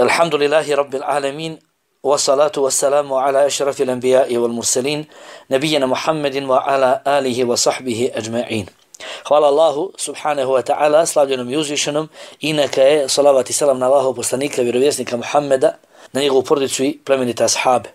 Alhamdulillahi Rabbil Alamin, wa salatu wa salamu ala ašrafil anbiya'i wal mursalin, nabijena Muhammedin wa ala alihi wa sahbihi ajma'in. Hvala Allahu subhanahu wa ta'ala, slavljenom i uzvišenom, i neka je salavat i salam na Allahov poslanika, vjerovjesnika Muhammeda, na njegovu porodicu i plemenite ashabe.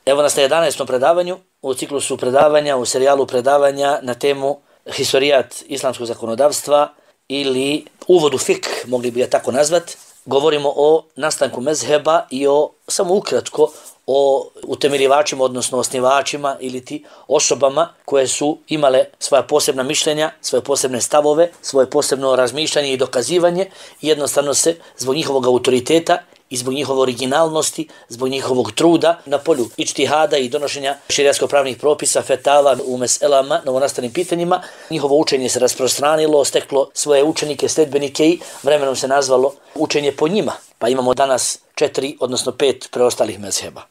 Evo nas na 11. predavanju, u ciklusu predavanja, u serijalu predavanja na temu historijat islamskog zakonodavstva ili uvod u fik, mogli bi ga tako nazvat. Govorimo o nastanku mezheba i o, samo ukratko, o utemeljivačima, odnosno osnivačima ili ti osobama koje su imale svoja posebna mišljenja, svoje posebne stavove, svoje posebno razmišljanje i dokazivanje i jednostavno se zbog njihovog autoriteta i zbog njihove originalnosti, zbog njihovog truda na polju ičtihada i donošenja šerijatsko-pravnih propisa, fetava u meselama, novonastalim pitanjima, njihovo učenje se rasprostranilo, steklo svoje učenike, sledbenike i vremenom se nazvalo učenje po njima. Pa imamo danas 4, odnosno 5 preostalih mezheba.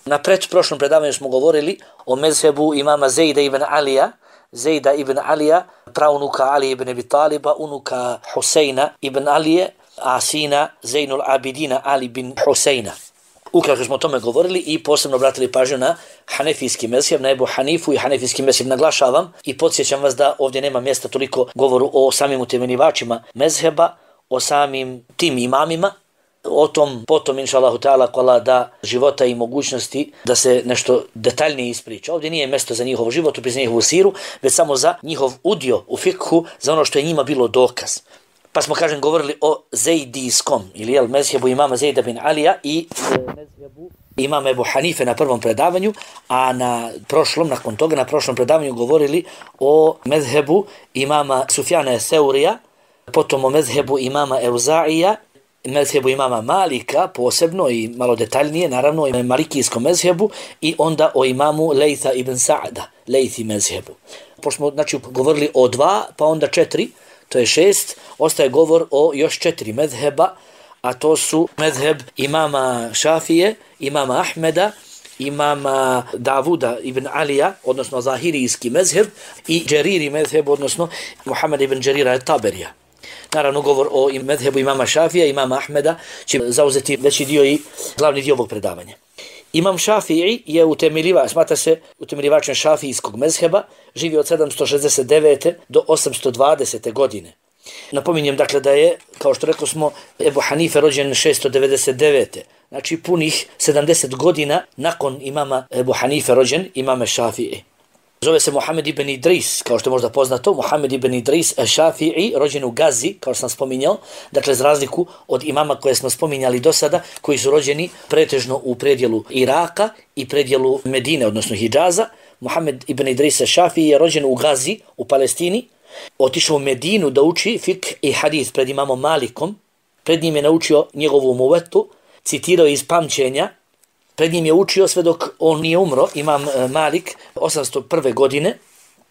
Na prošlom predavanju smo govorili o mezhebu imama Zejda ibn Alija, praunuka Ali ibn Abi Taliba, unuka Huseina ibn Alije, a sina Zejnul Abidina Ali bin Huseina. Ukratko smo o tome govorili i posebno obratili pažnju na hanefijski mezheb, na Ebu Hanifu i hanefijski mezheb. Naglašavam i podsjećam vas da ovdje nema mjesta toliko govoru o samim utemeljivačima mezheba, o samim tim imamima. O tom potom, inša Allahu ta'ala, ko Allah da života i mogućnosti da se nešto detaljnije ispriča. Ovdje nije mjesto za njihov život, za njihovu siru, već samo za njihov udio u fikhu, za ono što je njima bilo dokaz. Pa smo, govorili o Zejdijskom, ili mezhebu imama Zejda bin Alija i mezhebu imama Ebu Hanife na prvom predavanju, a nakon toga na prošlom predavanju govorili o mezhebu imama Sufjana Seurija, potom o mezhebu imama Euza'ija, mezhebu imama Malika posebno i malo detaljnije, naravno i malikijskom mezhebu, i onda o imamu Lejtha ibn Sa'da, Lejthi mezhebu. Pošto smo govorili o 2, pa onda 4, to je 6, ostaje govor o još 4 mezheba, a to su mezheb imama Šafije, imama Ahmeda, imama Davuda ibn Alija, odnosno zahirijski mezheb, i Džeriri mezheb, odnosno Muhammed ibn Džerira Taberija. Naravno, govor o mezhebu imama Šafija, imama Ahmeda će zauzeti veći dio i glavni dio ovog predavanja. Imam Šafiji je smatra se utemeljivačem šafijskog mezheba, živi od 769. do 820. godine. Napominjem dakle da je, kao što rekao smo, Ebu Hanife rođen 699. Znači punih 70 godina nakon imama Ebu Hanife rođen imame Šafiji. Zove se Muhammed ibn Idris, kao što je možda poznato, Muhammed ibn Idris Šafii, rođen u Gazi, kao što sam spominjao, dakle za razliku od imama koje smo spominjali do sada, koji su rođeni pretežno u predjelu Iraka i predjelu Medine, odnosno Hidžaza. Muhammed ibn Idris Šafii je rođen u Gazi, u Palestini, otišao u Medinu da uči fik i hadith pred imamom Malikom, pred njim je naučio njegovu muvetu, citirao iz pamćenja. Pred njim je učio sve dok on nije umro, imam Malik, 801. godine.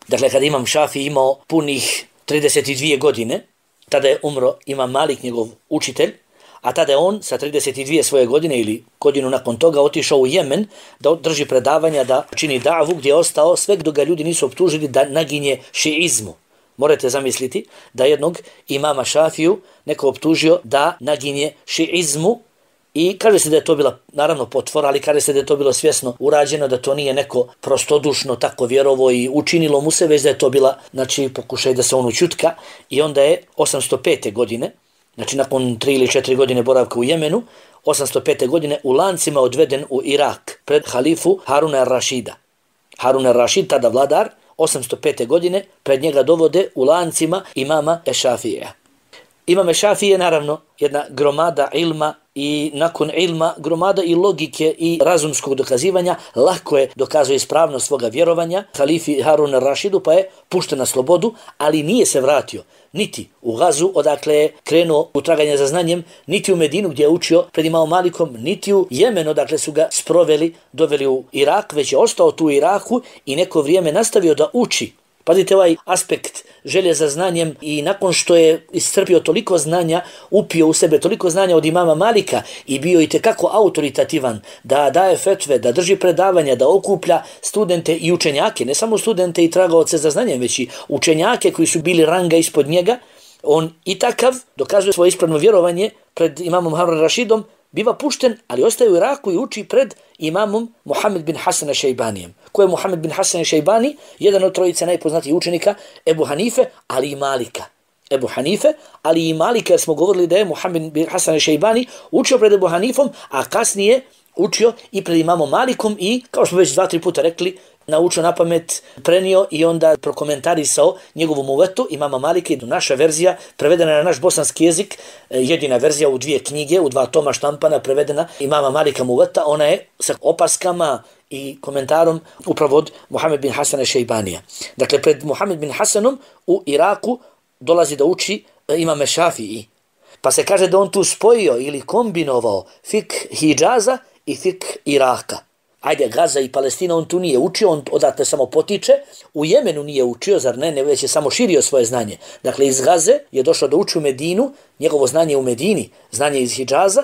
Dakle, kada imam Šafi imao punih 32 godine, tada je umro imam Malik, njegov učitelj, a tada je on sa 32 svoje godine ili godinu nakon toga otišao u Jemen da drži predavanja, da čini davu, gdje je ostao sve dok ga ljudi nisu optužili da naginje šiizmu. Morate zamisliti da jednog imama Šafiju neko optužio da naginje šiizmu. I kaže se da je to bila, naravno, potvora, ali kaže se da je to bilo svjesno urađeno, da to nije neko prostodušno tako vjerovo i učinilo mu se, već da je to bila, pokušaj da se on učutka. I onda je 805. godine, nakon 3 ili 4 godine boravka u Jemenu, 805. godine u lancima odveden u Irak pred halifu Haruna ar-Rašida. Harun ar-Rašid, tada vladar, 805. godine, pred njega dovode u lancima imama Ešafija. Imam Ešafije je naravno jedna gromada ilma i nakon ilma gromada i logike i razumskog dokazivanja, lako je dokazuje ispravnost svoga vjerovanja halifi Harun ar-Rašidu, pa je pušten na slobodu, ali nije se vratio niti u Gazu, odakle je krenuo u traganje za znanjem, niti u Medinu gdje je učio pred imamom Malikom, niti u Jemen, odakle su ga sproveli, doveli u Irak, već je ostao tu u Iraku i neko vrijeme nastavio da uči. Pazite ovaj aspekt želje za znanjem, i nakon što je iscrpio toliko znanja, upio u sebe toliko znanja od imama Malika i bio itekako autoritativan da daje fetve, da drži predavanja, da okuplja studente i učenjake, ne samo studente i tragaoce za znanjem, već i učenjake koji su bili ranga ispod njega, on i takav dokazuje svoje ispravno vjerovanje pred imamom Harun Rašidom, biva pušten, ali ostaje u Iraku i uči pred imamom Muhammed bin Hasan Šejbanijem. Ko je Muhammed bin Hasan Šejbani? Jedan od trojice najpoznatijih učenika Ebu Hanife, ali i Malika. Ebu Hanife, ali i Malika, jer smo govorili da je Muhammed bin Hasan Šejbani učio pred Ebu Hanifom, a kasnije učio i pred imamom Malikom i, kao što već 2-3 puta rekli, naučio na pamet, prenio i onda prokomentarisao njegovu muvetu imama Malika. Naša verzija, prevedena na naš bosanski jezik, jedina verzija u 2 knjige, u 2 toma štampana, prevedena imama Malika muveta, ona je sa opaskama i komentarom upravo od Muhammed bin Hasana Šejbanija. Dakle, pred Muhammed bin Hasanom u Iraku dolazi da uči imame Šafii. Pa se kaže da on tu spojio ili kombinovao fik Hidžaza i fik Iraka. Ajde, Gaza i Palestina on tu nije učio, on odatle samo potiče. U Jemenu nije učio, zar ne, već je samo širio svoje znanje. Dakle, iz Gaze je došao da uči u Medinu, njegovo znanje u Medini, znanje iz Hidžaza.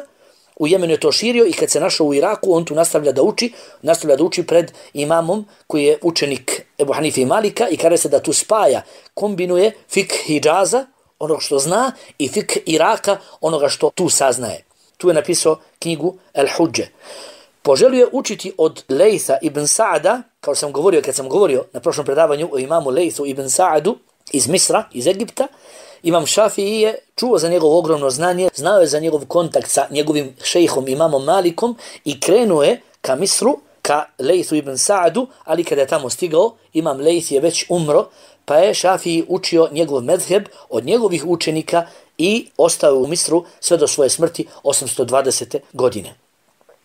U Jemenu je to širio i kad se našao u Iraku, on tu nastavlja da uči pred imamom koji je učenik Ebu Hanife i Malika i kaže se da tu spaja, kombinuje fik Hidžaza, onog što zna, i fik Iraka, onoga što tu saznaje. Tu je napisao knjigu El Hudže. Poželio je učiti od Lejtha ibn Sa'ada, kao sam govorio kad sam govorio na prošlom predavanju o imamu Lejthu ibn Sa'adu iz Misra, iz Egipta. Imam Šafii je čuo za njegovo ogromno znanje, znao je za njegov kontakt sa njegovim šejhom imamom Malikom i krenuo je ka Misru, ka Lejthu ibn Sa'adu, ali kada je tamo stigao, imam Lejth je već umro, pa je Šafii učio njegov medheb od njegovih učenika i ostao u Misru sve do svoje smrti 820. godine.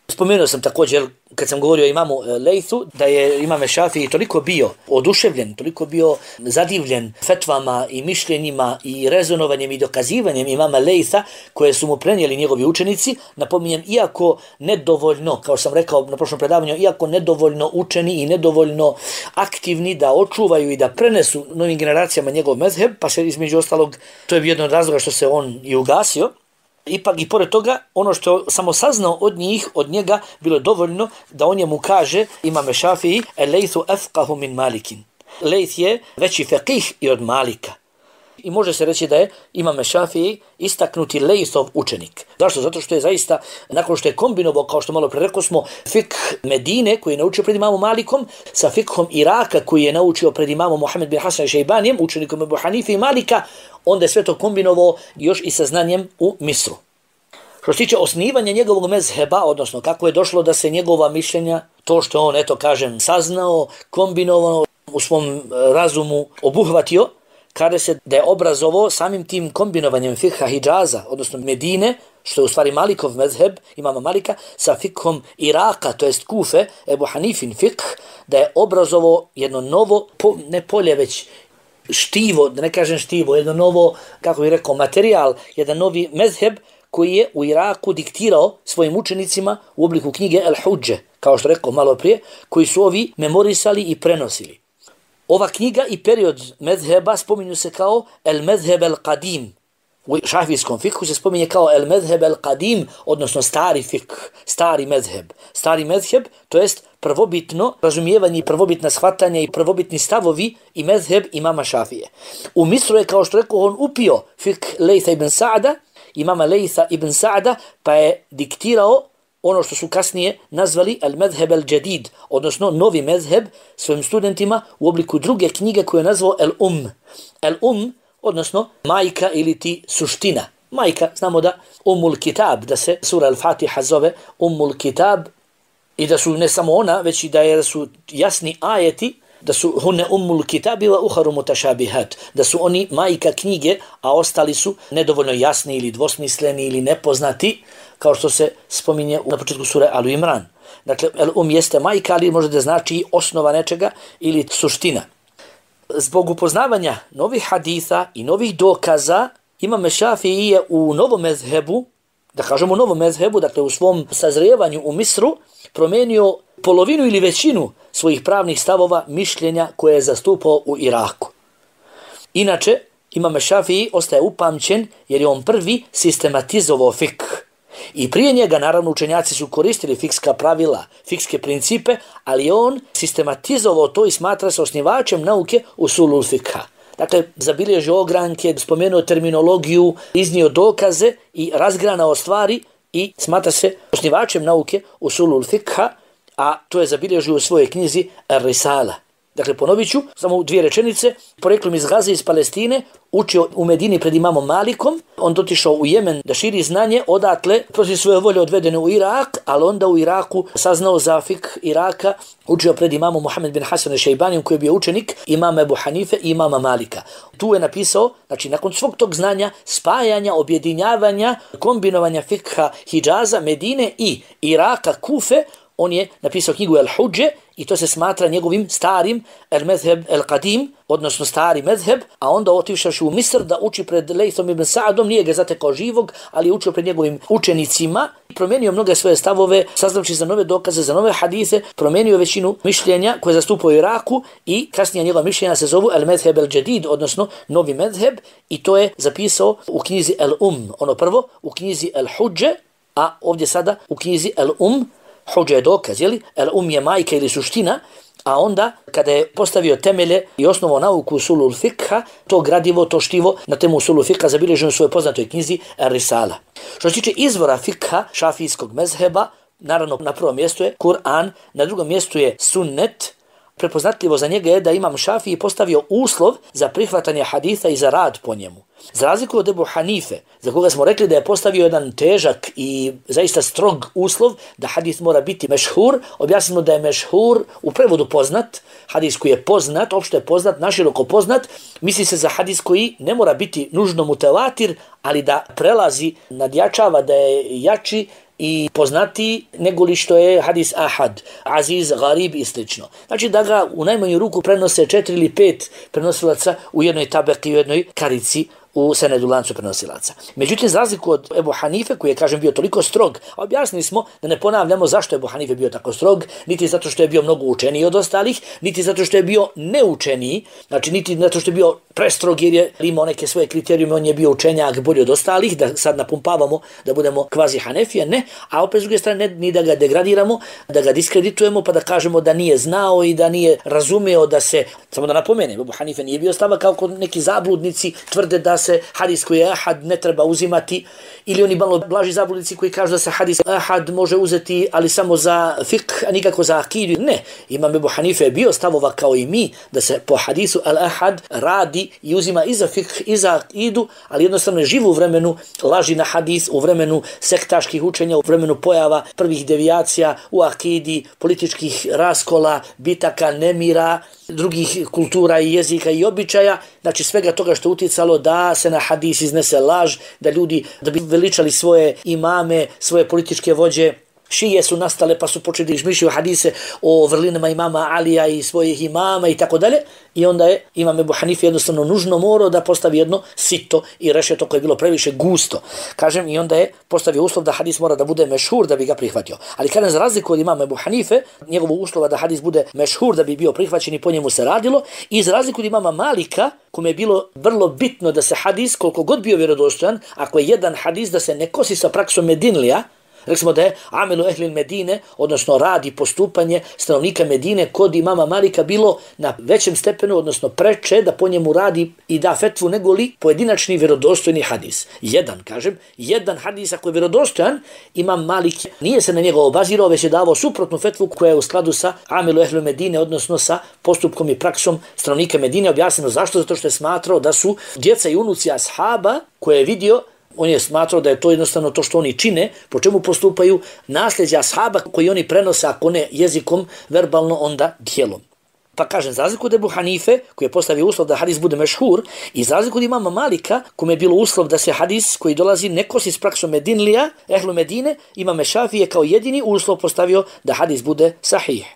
Spomenuo sam također, kad sam govorio o imamu Lejthu, da je imam Šafii toliko bio oduševljen, toliko bio zadivljen fetvama i mišljenjima i rezonovanjem i dokazivanjem imama Lejtha koje su mu prenijeli njegovi učenici. Napominjem, iako nedovoljno, kao sam rekao na prošlom predavanju, iako nedovoljno učeni i nedovoljno aktivni da očuvaju i da prenesu novim generacijama njegov mezheb, pa se između ostalog, to je bio jedan od razloga što se on i ugasio. Ipak i pored toga, ono što je samo saznao od njega, bilo je dovoljno da on njemu kaže, imame Šafii, Lejthu afqahu min Malikin. Lejth je veći fekih i od Malika. I može se reći da je imame Šafii istaknuti Lejthov učenik. Zašto? Zato što je zaista, nakon što je kombinovao, kao što malo pre rekao smo, fik Medine koji je naučio pred imamom Malikom, sa fikhom Iraka koji je naučio pred imamom Muhammed bin Hasan Šejbanijem, učenikom Ebu Hanife i Malika, onda je sve to kombinovao još i sa znanjem u Misru. Što se tiče osnivanja njegovog mezheba, odnosno kako je došlo da se njegova mišljenja, to što on, saznao, kombinovao, u svom razumu obuhvatio, kaže se da je obrazovao samim tim kombinovanjem fikha Hidžaza, odnosno Medine, što je u stvari Malikov mezheb, imama Malika, sa fikhom Iraka, to jest Kufe, Ebu Hanifin fikh, da je obrazovao jedno novo, ne polje već štivo, da ne kažem štivo, jedno novo, kako bih rekao, materijal, jedan novi mezheb koji je u Iraku diktirao svojim učenicima u obliku knjige El Hudže, kao što rekao malo prije, koji su ovi memorisali i prenosili. Ova knjiga i period mezheba spominju se kao El Mezheb El Qadim. U šafijskom fikhu se spominje kao El Mezheb El Qadim, odnosno stari fikh, stari mezheb. Stari mezheb, to jest prvobitno razumijevanje i prvobitna shvatanja i prvobitni stavovi i mezheb imama Šafije. U Misru je, kao što rekao, on upio fikh Lejtha ibn Sa'ada, imama Lejtha ibn Sa'ada, pa je diktirao ono što su kasnije nazvali al-Medheb al-Jadid, odnosno novi mezheb svojim studentima u obliku druge knjige koju je nazvao El-Um, odnosno majka ili ti suština. Majka, znamo da Ummul Kitab, da se sura Al-Fatiha zove Ummul Kitab i da su ne samo ona, već i da su jasni ajeti, da su hunne Ummul Kitabi wa uharu mutašabihat, da su oni majka knjige, a ostali su nedovoljno jasni ili dvosmisleni ili nepoznati, kao što se spominje na početku sure Alu Imran. Dakle, jeste majka, ali može da znači osnova nečega ili suština. Zbog upoznavanja novih haditha i novih dokaza, imam Šafii je u novom mezhebu, da kažemo novom mezhebu, dakle u svom sazrijevanju u Misru, promenio polovinu ili većinu svojih pravnih stavova, mišljenja koje je zastupao u Iraku. Inače, imam Šafii ostaje upamćen jer je on prvi sistematizovao fikh. I prije njega, naravno, učenjaci su koristili fikska pravila, fikske principe, ali on sistematizovao to i smatra se osnivačem nauke usulul fikha. Dakle, zabilježio ogranke, spomenuo terminologiju, iznio dokaze i razgranao stvari i smatra se osnivačem nauke usulul fikha, a to je zabilježio u svojoj knjizi Ar-Risala. Dakle, ponovit ću samo u 2 rečenice. Poreklom iz Gaze, iz Palestine, učio u Medini pred imamom Malikom, on dotišao u Jemen da širi znanje, odatle protiv svoje volje odvedene u Irak, ali onda u Iraku saznao za fik Iraka, učio pred imamom Muhammed bin Hasan al-Šejbanijom koji je bio učenik imama Ebu Hanife i imama Malika. Tu je napisao, znači nakon svog tog znanja, spajanja, objedinjavanja, kombinovanja fikha Hidžaza, Medine i Iraka, Kufe, on je napisao knjigu Al-Hudže i to se smatra njegovim starim al-Medheb al-Qadim, odnosno stari medheb, a onda otišavši u Misr da uči pred Lejthom ibn Sa'adom, nije ga zatekao živog, ali je učio pred njegovim učenicima, promijenio mnoge svoje stavove, saznavši za nove dokaze, za nove hadise, promijenio većinu mišljenja koje zastupao u Iraku i kasnije njegova mišljenja se zovu al-Medheb al-Jadid, odnosno novi medheb, i to je zapisao u knjizi ono prvo, u knjizi Al-Hudže, a ovdje sada u knjizi Hudža je dokaz, jeli? Je majka ili suština, a onda kada je postavio temelje i osnovao nauku usulul fikha, to gradivo, to štivo na temu usulul fikha zabilježeno u svojoj poznatoj knjizi Ar-Risala. Što se tiče izvora fikha šafijskog mezheba, naravno na prvom mjestu je Kur'an, na drugom mjestu je sunnet. Prepoznatljivo za njega je da imam Šafiji postavio uslov za prihvatanje haditha i za rad po njemu. Za razliku od Ebu Hanife, za koga smo rekli da je postavio jedan težak i zaista strog uslov da hadis mora biti mešhur, objasnimo da je mešhur u prevodu poznat, hadis koji je poznat, opšte je poznat, naširoko poznat, misli se za hadis koji ne mora biti nužno mutevatir, ali da prelazi, nadjačava, da je jači i poznati nego li što je hadis ahad, aziz, garib i slično. Znači da ga u najmanju ruku prenose 4 ili 5 prenosilaca u jednoj tabeki, u jednoj karici u senedu lancu prenosilaca. Međutim, za razliku od Ebu Hanife, koji je, kažem, bio toliko strog, objasnili smo da ne ponavljamo zašto je Ebu Hanife bio tako strog, niti zato što je bio mnogo učeniji od ostalih, niti zato što je bio neučeniji, znači niti zato što je bio prestrog jer je imao neke svoje kriterijume, on je bio učenjak bolji od ostalih, da sad napumpavamo da budemo kvazi Hanefije, ne, a opet s druge strane ni da ga degradiramo, da ga diskreditujemo, pa da kažemo da nije znao i da nije razumeo da se, samo da napomenem, Ebu Hanife nije bio stava kao neki zabludnici tvrde da se hadis koji je ahad ne treba uzimati, ili oni malo blaži zabludnici koji kažu da se hadis ahad može uzeti, ali samo za fiqh, a nikako za akidu. Ne, imam Ebu Hanife je bio stavova kao i mi, da se po hadisu al-ahad radi i uzima i za fiqh i za akidu, ali jednostavno je živo u vremenu laži na hadis, u vremenu sektaških učenja, u vremenu pojava prvih devijacija u akidi, političkih raskola, bitaka, nemira, drugih kultura i jezika i običaja, znači svega toga što uticalo da se na hadis iznese laž, da ljudi da bi veličali svoje imame, svoje političke vođe. Šije su nastale pa su počeli izmišljati hadise o vrlinama imama Alija i svojih imama i tako dalje. I onda je imam Ebu Hanife jednostavno nužno morao da postavi jedno sito i rešeto koje je bilo previše gusto. Kažem, i onda je postavio uslov da hadis mora da bude mešhur da bi ga prihvatio. Ali kažem, za razliku od imama Ebu Hanife, njegovog uslova da hadis bude mešhur da bi bio prihvaćen i po njemu se radilo, i za razliku od imama Malika, kome je bilo vrlo bitno da se hadis, koliko god bio vjerodostojan, ako je jedan hadis da se ne kosi sa praksom Medinlija, rekli smo da je amelu ehlil Medine, odnosno rad i postupanje stanovnika Medine kod imama Malika bilo na većem stepenu, odnosno preče da po njemu radi i da fetvu nego li pojedinačni vjerodostojni hadis. Jedan hadis ako je vjerodostojan, imam Malik nije se na njega obazirao, već je davao suprotnu fetvu koja je u skladu sa amelu ehlil Medine, odnosno sa postupkom i praksom stanovnika Medine. Objasneno zašto? Zato što je smatrao da su djeca i unuci ashaba koje je vidio, on je smatrao da je to jednostavno to što oni čine, po čemu postupaju, nasljeđa ashaba koji oni prenose, ako ne jezikom, verbalno, onda djelom. Pa kažem, za razliku od Ebu Hanife, koji je postavio uslov da hadis bude mešhur, i za razliku od imama Malika, kome je bilo uslov da se hadis koji dolazi ne kosi s praksom Medinlija, ehlu Medine, imam Šafije kao jedini uslov postavio da hadis bude sahih.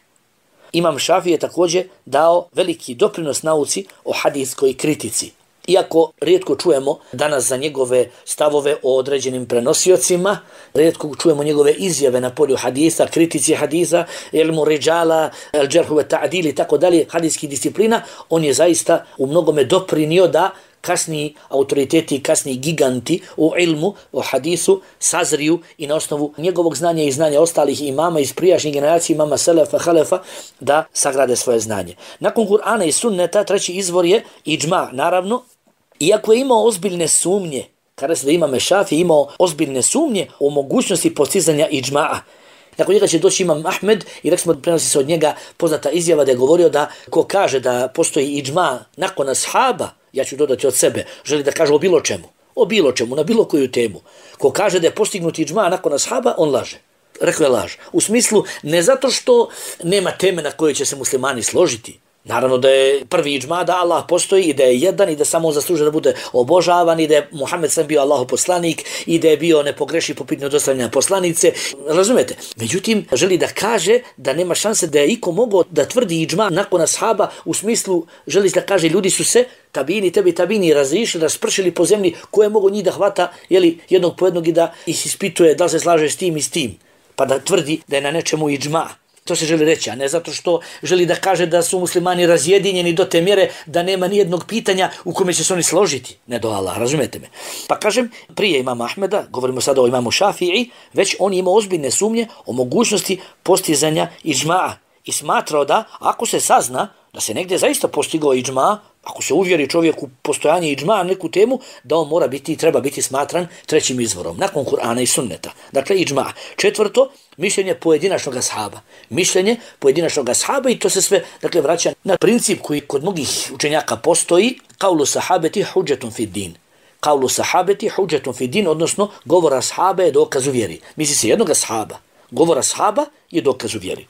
Imam Šafije je također dao veliki doprinos nauci o hadiskoj kritici. Iako rijetko čujemo danas za njegove stavove o određenim prenosiocima, rijetko čujemo njegove izjave na polju hadisa, kritici hadisa, ilmu ridžala, al-džerhu wa ta'dil i tako dalje, hadijskih disciplina, on je zaista u mnogome doprinio da kasniji autoriteti, kasniji giganti u ilmu, u hadisu, sazriju i na osnovu njegovog znanja i znanja ostalih imama iz prijašnjih generacija, imama Selefa, Halefa, da sagrade svoje znanje. Nakon Kur'ana i sunneta, treći izvor je iđma, naravno, iako je imao ozbiljne sumnje Kada se da Imam Šafii imao ozbiljne sumnje o mogućnosti postizanja iđma'a. Nakon njega će doći Imam Ahmed i rekli smo, prenosi se od njega poznata izjava da je govorio da ko kaže da postoji iđma nakon ashaba, ja ću dodati od sebe, želi da kaže o bilo čemu, na bilo koju temu. Ko kaže da je postignut iđma nakon ashaba, on laže. Rekao je laž. U smislu, ne zato što nema teme na kojoj će se muslimani složiti. Naravno da je prvi iđma da Allah postoji i da je jedan i da samo on zaslužuje da bude obožavan i da je Muhammed sam bio Allahov poslanik i da je bio nepogrešiv po pitanju dostavljanja poslanice. Razumete? Međutim, želi da kaže da nema šanse da je iko mogao da tvrdi iđma nakon ashaba, u smislu, želi da kaže ljudi su se tabini razišli, raspršili po zemlji, ko je mogao njih da hvata jednog po jednog i da ih ispituje da li se slaže s tim i s tim, pa da tvrdi da je na nečemu iđma. To se želi reći, a ne zato što želi da kaže da su muslimani razjedinjeni do te mjere da nema ni jednog pitanja u kome će se oni složiti. Ne do Allah, razumete me. Pa kažem, prije Imama Ahmeda, govorimo sada o Imamu Šafii, već on ima ozbiljne sumnje o mogućnosti postizanja iđma'a i smatrao da ako se sazna da se negdje zaista postigao iđma, ako se uvjeri čovjek u postojanje iđma na neku temu, da on mora biti i treba biti smatran trećim izvorom, nakon Kur'ana i sunneta. Dakle, iđma. Četvrto, mišljenje pojedinačnog ashaba. Mišljenje pojedinačnog ashaba i to se sve vraća na princip koji kod mnogih učenjaka postoji, kaulu sahabeti hudžetun fid din. Kaulu sahabeti hudžetun fid din, odnosno govor ashaba je dokaz u vjeri. Misli se jednog ashaba. Govor ashaba je dokaz u vjeri.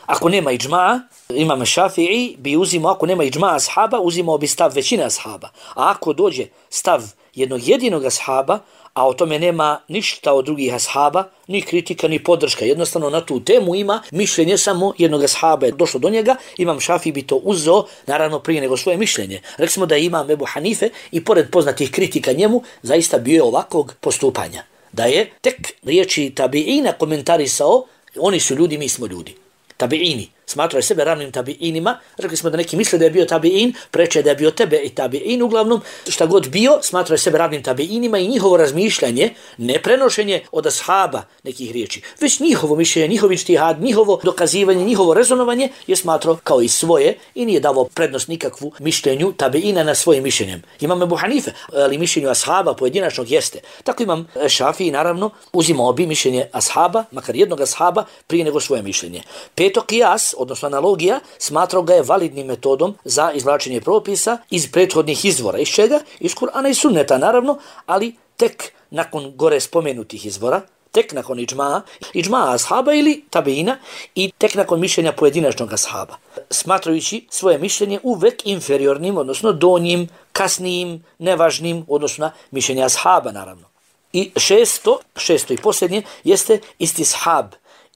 Ako nema iđma'a, Imam Šafii bi uzimao, ako nema iđma'a ashaba, uzimao bi stav većine ashaba. A ako dođe stav jednog jedinog ashaba, a o tome nema ništa od drugih ashaba, ni kritika, ni podrška, jednostavno na tu temu ima mišljenje samo jednog ashaba je došlo do njega, Imam Šafii bi to uzeo, naravno prije nego svoje mišljenje. Rekli smo da Imam Ebu Hanife i pored poznatih kritika njemu, zaista bio ovakvog postupanja. Da je tek riječi tabiina komentarisao, oni su ljudi, mi smo ljudi. Tabiini. Smatraju sebe ravnim tabiinima. Rekli smo da neki misle da je bio tabiin, preče da je bio tebe i tabiin. Uglavnom, šta god bio, smatraju sebe ravnim tabiinima i njihovo razmišljanje, ne prenošenje od ashaba nekih riječi, već njihovo mišljenje, njihov ijtihad, njihovo dokazivanje, njihovo rezonovanje je smatrao kao i svoje i nije davao prednost nikakvu mišljenju tabiina na svojim mišljenjem. Imam Ebu Hanife, ali mišljenju ashaba pojedinačnog jeste. Tako Imam Šafii, naravno, uzimao bi mišljenje ashaba, makar jednog ashaba, prije nego svoje mišljenje. Peto, kijas, odnosno analogija, smatrao ga je validnim metodom za izvlačenje propisa iz prethodnih izvora. Iz čega? Iz Kur'ana i sunneta, naravno, ali tek nakon gore spomenutih izvora, tek nakon iđma'a ashaba ili tabiina i tek nakon mišljenja pojedinačnog ashaba. Smatrajući svoje mišljenje uvek inferiornim, odnosno donjim, kasnijim, nevažnim, odnosno mišljenje ashaba, naravno. I šesto i posljednje, jeste istishab.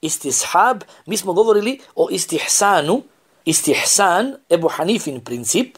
Istishab, mi smo govorili o istihsanu, istihsan, Ebu Hanifin princip,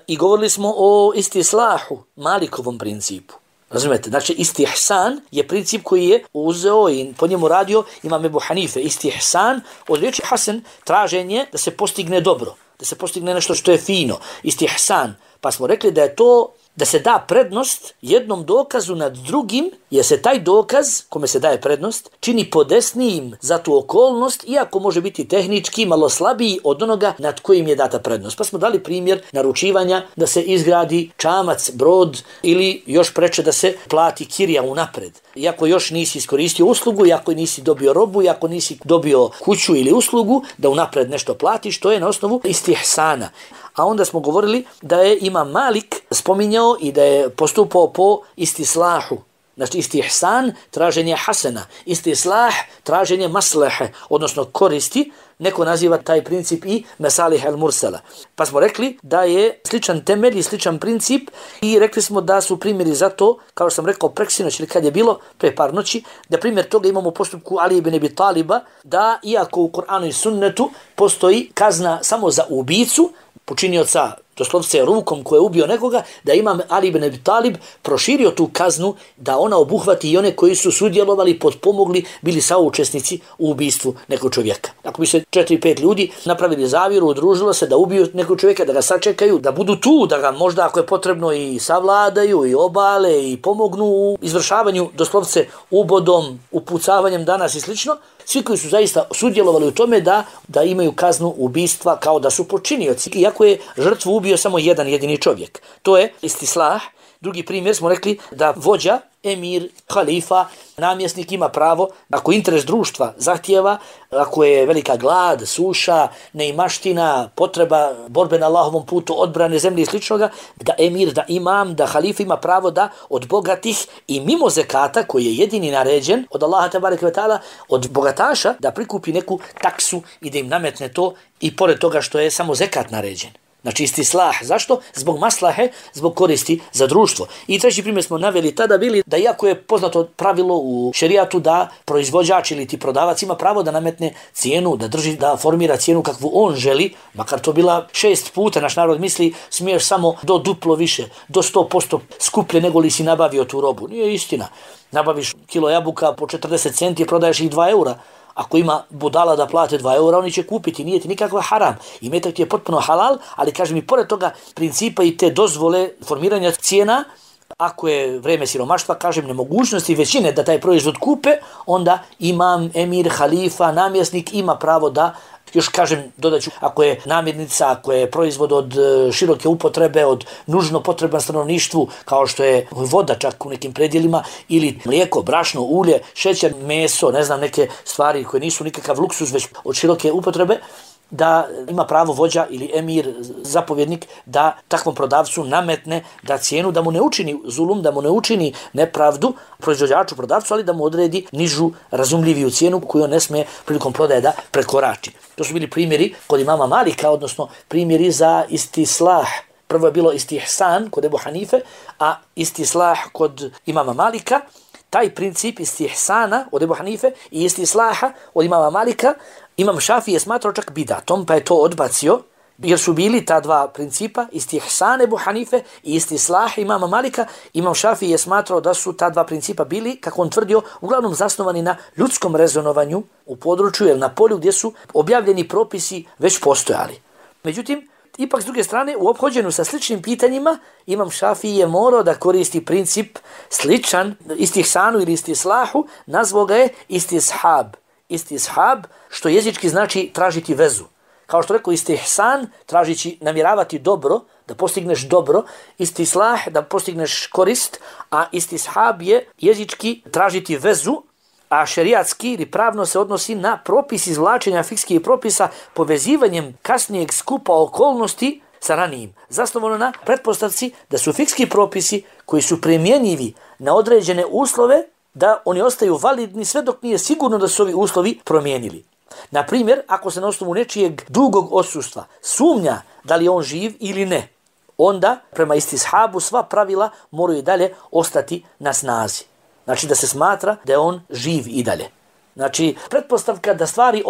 i govorili smo o istislahu, Malikovom principu. Razumete? Znači, istihsan je princip koji je uzeo i po njemu radio Imam Ebu Hanife. Istihsan, od riječi hasen, traženje da se postigne dobro, da se postigne nešto što je fino. Istihsan, pa smo rekli da je to da se da prednost jednom dokazu nad drugim, jer se taj dokaz, kome se daje prednost, čini podesnijim za tu okolnost, iako može biti tehnički malo slabiji od onoga nad kojim je data prednost. Pa smo dali primjer naručivanja da se izgradi čamac, brod ili još preče da se plati kirija unapred. Iako još nisi iskoristio uslugu, iako nisi dobio robu, iako nisi dobio kuću ili uslugu, da unapred nešto platiš, to je na osnovu istihsana. A onda smo govorili da je Imam Malik spominjao i da je postupao po istislahu. Znači istihsan, traženje hasena, istislah, traženje maslehe, odnosno koristi. Neko naziva taj princip i mesalih al-mursala. Pa smo rekli da je sličan temelj i sličan princip i rekli smo da su primjeri za to, kao što sam rekao preksinoć ili kad je bilo pre par noći, da primjer toga imamo u postupku Ali ibn Abi Taliba, da iako u Kur'anu i sunnetu postoji kazna samo za ubicu, počinioca, doslovce rukom koje je ubio nekoga, da Imam Ali ibn Abi Talib proširio tu kaznu da ona obuhvati i one koji su sudjelovali, potpomogli, bili saučesnici u ubistvu nekog čovjeka. Ako bi se 4-5 ljudi napravili zavjeru, udružilo se da ubiju nekog čovjeka, da ga sačekaju, da budu tu, da ga možda ako je potrebno i savladaju, i obale, i pomognu u izvršavanju doslovce ubodom, upucavanjem danas i slično, svi koji su zaista sudjelovali u tome da imaju kaznu ubistva kao da su počinioci, iako je žrtvu ubio samo jedan jedini čovjek. To je istislah, Drugi primjer smo rekli da vođa, emir, halifa, namjesnik ima pravo, ako interes društva zahtijeva, ako je velika glad, suša, neimaština, potreba borbe na Allahovom putu, odbrane zemlje i sličnoga, da emir, da imam, da halifa ima pravo da od bogatih i mimo zekata, koji je jedini naređen od Allaha tebareke ve taala, od bogataša da prikupi neku taksu i da im nametne to, i pored toga što je samo zekat naređen. Znači istislah. Zašto? Zbog maslahe, zbog koristi za društvo. I treći primjer smo naveli tada bili da iako je poznato pravilo u šerijatu da proizvođač ili ti prodavac ima pravo da nametne cijenu, da drži, da formira cijenu kakvu on želi, makar to bila 6 puta, naš narod misli smiješ samo do duplo više, do 100% skuplje nego li si nabavio tu robu. Nije istina. Nabaviš kilo jabuka po 40 centi, prodaješ ih 2 eura. Ako ima budala da plate 2 eura, oni će kupiti, nije ti nikakva haram. I metak ti je potpuno halal, ali kažem i pored toga principa i te dozvole formiranja cijena, ako je vreme siromaštva, kažem nemogućnosti većine da taj proizvod kupe, onda imam, emir, halifa, namjesnik ima pravo da, još kažem, dodaću, ako je namirnica, ako je proizvod od široke upotrebe, od nužno potreban stanovništvu, kao što je voda čak u nekim predjelima, ili mlijeko, brašno, ulje, šećer, meso, ne znam, neke stvari koje nisu nikakav luksuz, već od široke upotrebe, da ima pravo vođa ili emir, zapovjednik, da takvom prodavcu nametne da cijenu, da mu ne učini zulum, da mu ne učini nepravdu proizvođaču, prodavcu, ali da mu odredi nižu, razumljiviju cijenu koju on ne smije prilikom prodaje da prekorači. To su bili primjeri kod imama Malika, odnosno primjeri za istislah. Prvo je bilo istihsan kod Ebu Hanife, a istislah kod imama Malika. Taj princip istihsana od Ebu Hanife i istislaha od imama Malika Imam Šafii je smatrao čak bidatom, pa je to odbacio, jer su bili ta dva principa, istihsan Ebu Hanife i istislah imama Malika. Imam Šafii je smatrao da su ta dva principa bili, kako on tvrdio, uglavnom zasnovani na ljudskom rezonovanju u području ili na polju gdje su objavljeni propisi već postojali. Međutim, ipak s druge strane, u ophođenju sa sličnim pitanjima, Imam Šafii je morao da koristi princip sličan istihsanu ili istislahu, nazvao ga je istishab. Istishab, što jezički znači tražiti vezu. Kao što rekao, istihsan, tražići, namjeravati dobro, da postigneš dobro, istislah, da postigneš korist, a istishab je jezički tražiti vezu, a šerijatski ili pravno se odnosi na propis izvlačenja fikskih propisa povezivanjem kasnijeg skupa okolnosti sa ranijim. Zasnovano na pretpostavci da su fikski propisi koji su primjenjivi na određene uslove, da oni ostaju validni sve dok nije sigurno da su ovi uslovi promijenili. Na primjer, ako se na osnovu nečijeg dugog odsustva sumnja da li je on živ ili ne, onda prema istishabu sva pravila moraju dalje ostati na snazi. Znači da se smatra da je on živ i dalje. Znači, pretpostavka da stvari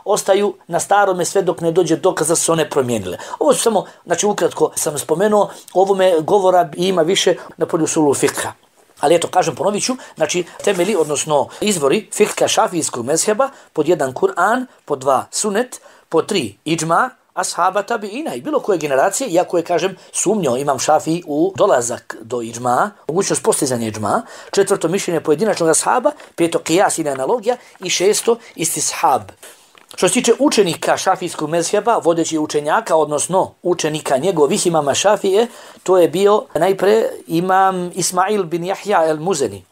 ostaju na starome sve dok ne dođe dokaz da su one promijenile. Ovo su samo, znači ukratko sam spomenuo, ovome govora ima više na polju usulu fikha. Ali eto, kažem, ponovit ću, znači temeli, odnosno izvori fikha šafijskog mezheba, pod 1 Kur'an, pod 2 sunet, pod 3 iđma, ashaba tabiina i bilo koje generacije, iako je, kažem, sumnjao Imam Šafii u dolazak do iđma, mogućnost postizanja iđma, 4. mišljenje pojedinačnog ashaba, 5. qiyas ili analogija i 6. istishab. Što se tiče učenika šafijskog mezheba, vodeći učenjaka, odnosno učenika njegovih imama Šafije, to je bio najpre imam Ismail bin Jahja el-Muzeni.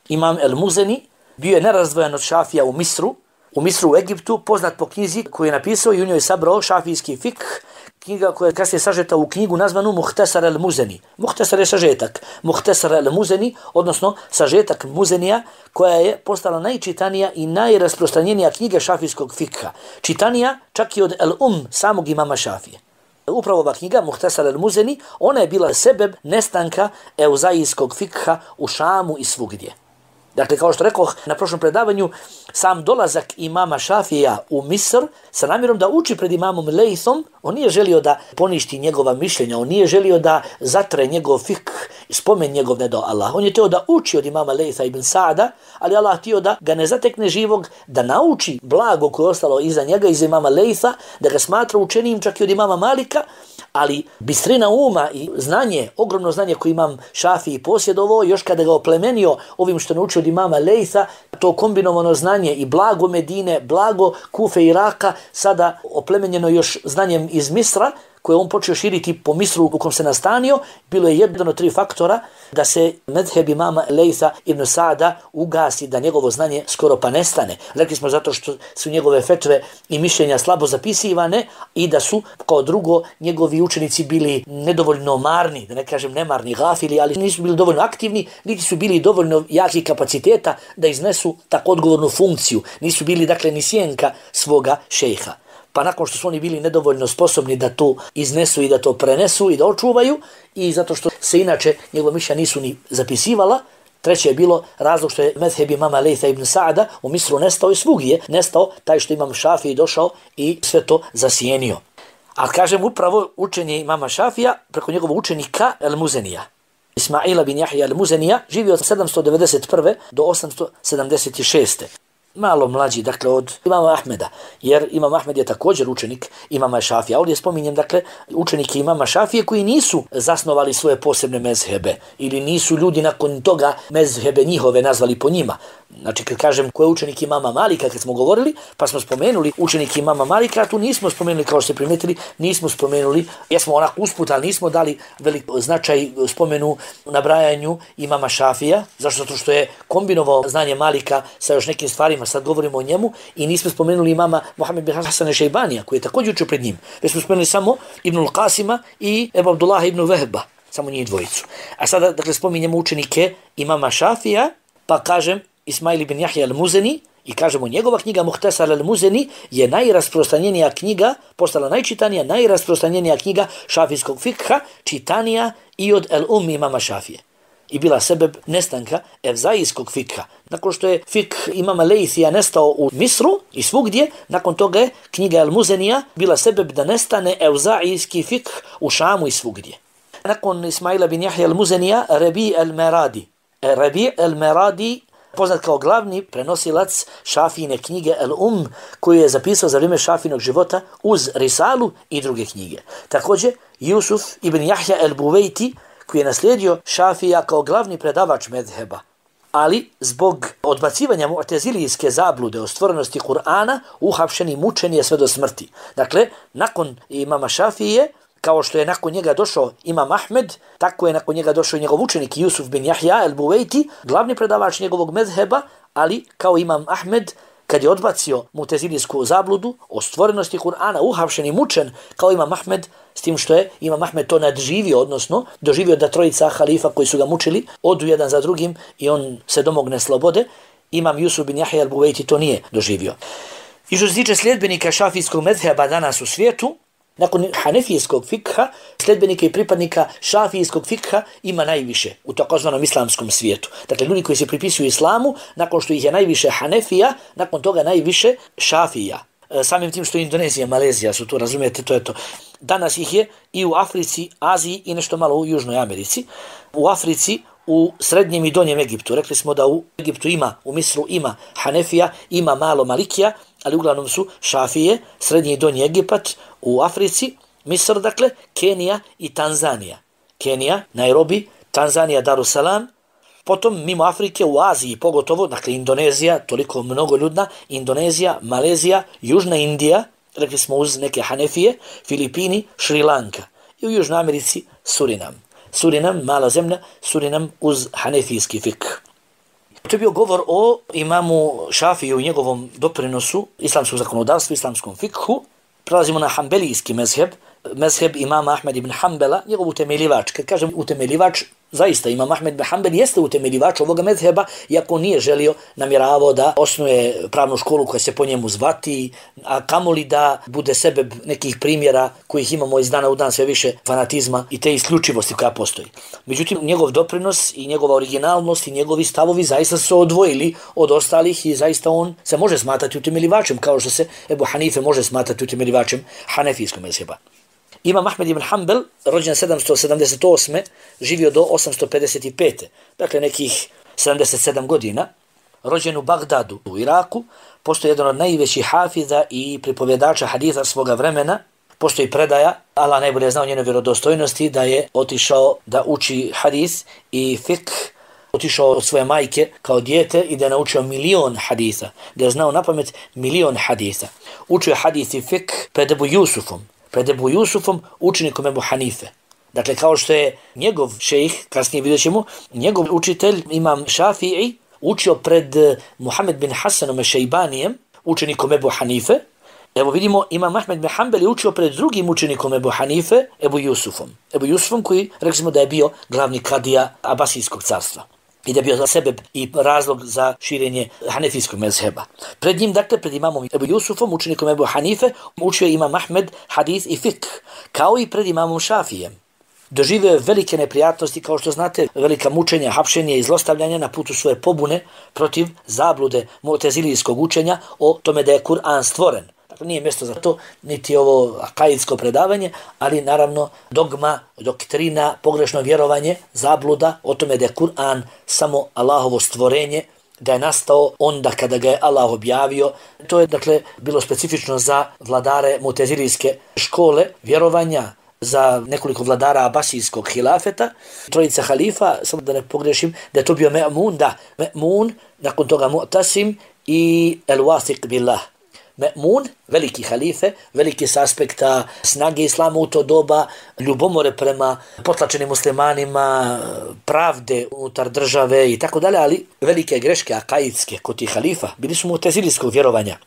Imam el-Muzeni bio je nerazdvojen od Šafija u Misru u Egiptu, poznat po knjizi koju je napisao i u njoj sabrao šafijski fikh, knjiga koja je kasnije sažeta u knjigu nazvanu Muhtasar el-Muzeni. Muhtasar je sažetak. Muhtasar el-Muzeni, odnosno sažetak Muzenija, koja je postala najčitanija i najrasprostranjenija knjiga šafijskog fikha. Čitanija čak i od samog imama Šafije. Upravo ova knjiga, Muhtasar el-Muzeni, ona je bila sebeb nestanka euzaijskog fikha u Šamu i svugdje. Dakle, kao što rekoh na prošlom predavanju, sam dolazak imama Šafija u Misr sa namjerom da uči pred imamom Lejthom, on nije želio da poništi njegova mišljenja, on nije želio da zatre njegov fikh, spomen njegov ne do Allah. On je teo da uči od imama Lejtha ibn Sa'da, ali Allah htio da ga ne zatekne živog, da nauči blago koje je ostalo iza njega, iza imama Lejtha, da ga smatra učenijim čak i od imama Malika, ali bistrina uma i znanje, ogromno znanje koje imam Šafii posjedovao, još kada ga oplemenio ovim što naučio od imama Lejtha, to kombinovano znanje i blago Medine, blago Kufe i Iraka, sada oplemenjeno još znanjem iz Misra, koje on počeo širiti po Misru u kom se nastanio, bilo je jedan od 3 faktora da se medheb imama Lejsa ibn Sa'da ugasi, da njegovo znanje skoro pa nestane. Rekli smo zato što su njegove fetve i mišljenja slabo zapisivane i da su kao drugo njegovi učenici bili nedovoljno marni, da ne kažem nemarni, gafili, ali nisu bili dovoljno aktivni, niti su bili dovoljno jaki kapaciteta da iznesu tako odgovornu funkciju. Nisu bili dakle ni sjenka svoga šejha. Pa nakon što su oni bili nedovoljno sposobni da to iznesu i da to prenesu i da očuvaju, i zato što se inače njegova mišljenja nisu ni zapisivala, treće je bilo razlog što je medheb imama Lejsa ibn Sa'da u Misru nestao i svugdje je nestao taj što imam Šafiji došao i sve to zasjenio. A kažem upravo učenje imama Šafija preko njegovog učenika El-Muzenija. Ismaila bin Jahja El-Muzenija živio od 791. do 876. Malo mlađi, dakle, od imama Ahmeda, jer imam Ahmed je također učenik imama Šafija. Ovdje spominjem, dakle, učenike imama Šafije koji nisu zasnovali svoje posebne mezhebe ili nisu ljudi nakon toga mezhebe njihove nazvali po njima. Znači, kad kažem ko je učenik imama Malika, kad smo govorili, pa smo spomenuli učenik imama Malika, tu nismo spomenuli, kao što ste primetili, nismo spomenuli, jesmo onako usput, ali nismo dali velik značaj spomenu nabrajanju imama Šafija, zašto što je kombinovao znanje Malika sa još nekim stvarima, sad govorimo o njemu, i nismo spomenuli imama Mohamed bin Hasan Šejbanija, koji je također učio pred njim. Već smo spomenuli samo Ibnul Qasima i Ebu Abdullaha ibn Vehba, samo njih dvojicu. A sada, dakle, spominjemo učenike imama Šafija, pa kažem Ismail ibn Jahja al-Muzeni, i kažemo njegova knjiga Muhtasar al-Muzeni je najrasprostranjenija knjiga, postala najčitanija, najrasprostranjenija knjiga šafijskog fikha, čitanija i od el-Ummi imama Šafije. I bila sebeb nestanka evzaijskog fikha. Nakon što je fikh imama Lejsija nestao u Misru i svugdje, nakon toga je knjiga El-Muzenija bila sebeb da nestane evzaijski fikh u Šamu i svugdje. Nakon Ismaila bin Jahja al-Muzenija, Rabi al-Meradi. Rabi al-Meradi, poznat kao glavni prenosilac Šafijine knjige El-Um, koju je zapisao za vrijeme Šafinog života uz Risalu i druge knjige. Također, Jusuf ibn Jahja el-Buvejti, koji je naslijedio Šafija kao glavni predavač medheba, ali zbog odbacivanja mu'tezilijske zablude o stvorenosti Kur'ana uhapšen i mučen je sve do smrti. Dakle, nakon imama Šafije, kao što je nakon njega došao imam Ahmed, tako je nakon njega došao njegov učenik Jusuf bin Jahja el-Buvejti, glavni predavač njegovog medheba, ali kao imam Ahmed, kad je odbacio mu'tezilijsku zabludu o stvorenosti Kur'ana, uhapšen i mučen kao imam Ahmed, s tim što je imam Ahmed to nadživio, odnosno doživio da trojica halifa koji su ga mučili odu jedan za drugim i on se domogne slobode, imam Jusuf bin Jahja el-Buvejti to nije doživio. I što se tiče sljedbenika šafijskog medheba danas u svijetu, nakon hanefijskog fikha, sljedbenika i pripadnika šafijskog fikha ima najviše u takozvanom islamskom svijetu. Dakle, ljudi koji se pripisuju islamu, nakon što ih je najviše Hanefija, nakon toga najviše Šafija. Samim tim što je Indonezija, Malezija su tu, razumijete, to je to. Danas ih je i u Africi, Aziji i nešto malo u Južnoj Americi. U Africi, u srednjem i donjem Egiptu. Rekli smo da u Egiptu ima, u Misru ima Hanefija, ima malo Malikija, ali uglavnom su Šafije, srednji i donji Egipat, u Africi, Misr, dakle, Kenija i Tanzanija. Kenija, Nairobi, Tanzanija, Darussalam, potom mimo Afrike u Aziji pogotovo, dakle Indonezija, toliko mnogo ljudna, Indonezija, Malezija, Južna Indija, rekli smo uz neke Hanefije, Filipini, Šri Lanka i u Južnoj Americi Surinam. Surinam, mala zemlja, Surinam uz hanefijski fikh. To je bio govor o imamu Šafiju i njegovom doprinosu islamskog zakonodavstva, islamskom fikhu. Prelazimo na hanbelijski mezheb, mezheb imama Ahmed ibn Hanbala, njegov utemeljivač. Kad kažem utemeljivač, zaista imam Ahmed ibn Hanbal jeste utemeljivač ovoga mezheba, iako nije želio, namjeravao da osnuje pravnu školu koja se po njemu zvati, a kamoli da bude sebeb nekih primjera kojih imamo iz dana u dan sve više fanatizma i te isključivosti koja postoji. Međutim, njegov doprinos i njegova originalnost i njegovi stavovi zaista su odvojili od ostalih i zaista on se može smatrati utemeljivačem, kao što se Ebu Hanife može smatrati utemeljivačem hanefijskog mezheba. Imam Ahmed ibn Hanbal, rođen 778. živio do 855. Dakle, nekih 77 godina. Rođen u Bagdadu, u Iraku. Postoji jedan od najvećih hafiza i pripovjedača haditha svoga vremena. Postoji predaja, Allah najbolje zna o njenoj vjerodostojnosti, da je otišao da uči hadis i fikh. Otišao od svoje majke kao dijete i da je naučio 1.000.000 haditha. Da je znao napamet 1.000.000 haditha. Učio hadis i fikh pred Ebu Jusufom, pred Ebu Jusufom, učenikom Ebu Hanife. Dakle, kao što je njegov šejh, kasnije vidjet ćemo, njegov učitelj, imam Šafii, učio pred Muhammed bin Hasanom Šejbanijem, učenikom Ebu Hanife. Evo vidimo, imam Ahmed bin Hanbel je učio pred drugim učenikom Ebu Hanife, Ebu Jusufom. Ebu Jusufom koji, rekli smo da je bio glavni kadija Abasijskog carstva. I da je bio za sebe i razlog za širenje hanefijskog mezheba. Pred njim, dakle, pred imamom Ebu Jusufom, učenikom Ebu Hanife, učio je imam Ahmed hadis i fiqh, kao i pred imamom Šafijem. Doživio je velike neprijatnosti, kao što znate, velika mučenja, hapšenje i zlostavljanja na putu svoje pobune protiv zablude mu'tezilijskog učenja o tome da je Kur'an stvoren. Dakle, nije mjesto za to, niti ovo akaidsko predavanje, ali naravno dogma, doktrina, pogrešno vjerovanje, zabluda o tome da je Kur'an samo Allahovo stvorenje, da je nastao onda kada ga je Allah objavio. To je, dakle, bilo specifično za vladare mu'tezilijske škole vjerovanja, za nekoliko vladara Abasijskog hilafeta, trojica halifa, samo da ne pogrešim, da je to bio Me'mun, da, Me'mun, nakon toga Mu'tasim i El-Wathiq billah. Me'mun, veliki halife, veliki s aspekta snage islama u to doba, ljubomore prema potlačenim muslimanima, pravde unutar države i tako dalje, ali velike greške akaidske kod tih halifa bili su mu'tezilijskog vjerovanja.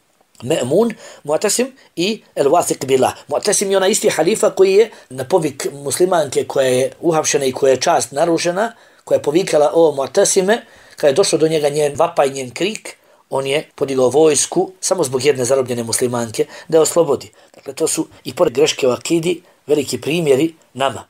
Me'mun, Mu'tasim i El-Wathiq billah. Mu'tasim je ona isti halifa koji je na povik muslimanke koja je uhapšena i koja je čast narušena, koja je povikala o Mu'tasime, kada je došlo do njega njen vapaj, njen krik, on je podigao vojsku samo zbog jedne zarobljene muslimanke da je oslobodi. Dakle, to su i pored greške u akidi veliki primjeri nama.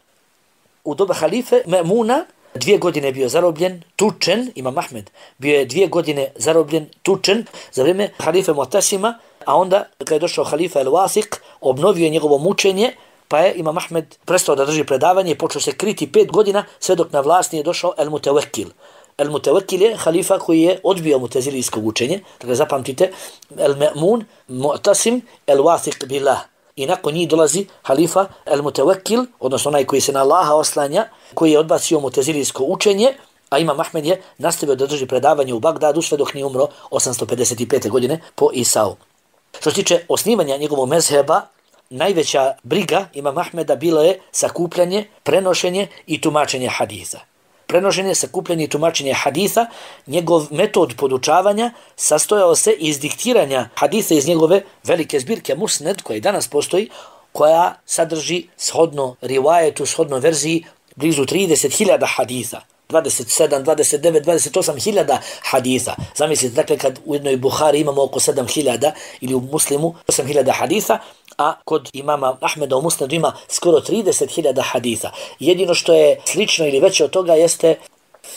U doba halife Me'muna 2 godine bio zarobljen, tučen, imam Ahmed, bio je 2 godine zarobljen, tučen za vrijeme halife Mu'tasima, a onda kada je došao halifa El-Wathiq, obnovio je njegovo mučenje, pa je imam Ahmed prestao da drži predavanje i počeo se kriti 5 godina, sve dok na vlast nije došao El-Mutawakkil. El-Mutawakkil je halifa koji je odbio mu'tezilijsko učenje, dakle zapamtite, El-Me'mun, Mu'tasim, El-Wathiq billah. I nakon njih dolazi halifa El-Mutawakkil, odnosno onaj koji se na Allaha oslanja, koji je odbacio mu'tezilijsko učenje, a imam Ahmed je nastavio da drži predavanje u Bagdadu sve dok nije umro 855. godine po Isau. Što se tiče osnivanja njegovog mezheba, najveća briga imam Ahmeda bila je sakupljanje, prenošenje i tumačenje hadisa. Prenošenje, sakupljanje i tumačenje haditha, njegov metod podučavanja sastojao se iz diktiranja haditha iz njegove velike zbirke Musned, koja i danas postoji, koja sadrži shodno rivajetu, shodno verziji blizu 30.000 haditha. 27, 29, 28.000 haditha. Zamislite, dakle, kad u jednoj Buhari imamo oko 7.000 ili u Muslimu 8.000 haditha, a kod imama Ahmeda u Musnedu ima skoro 30.000 haditha. Jedino što je slično ili veće od toga jeste,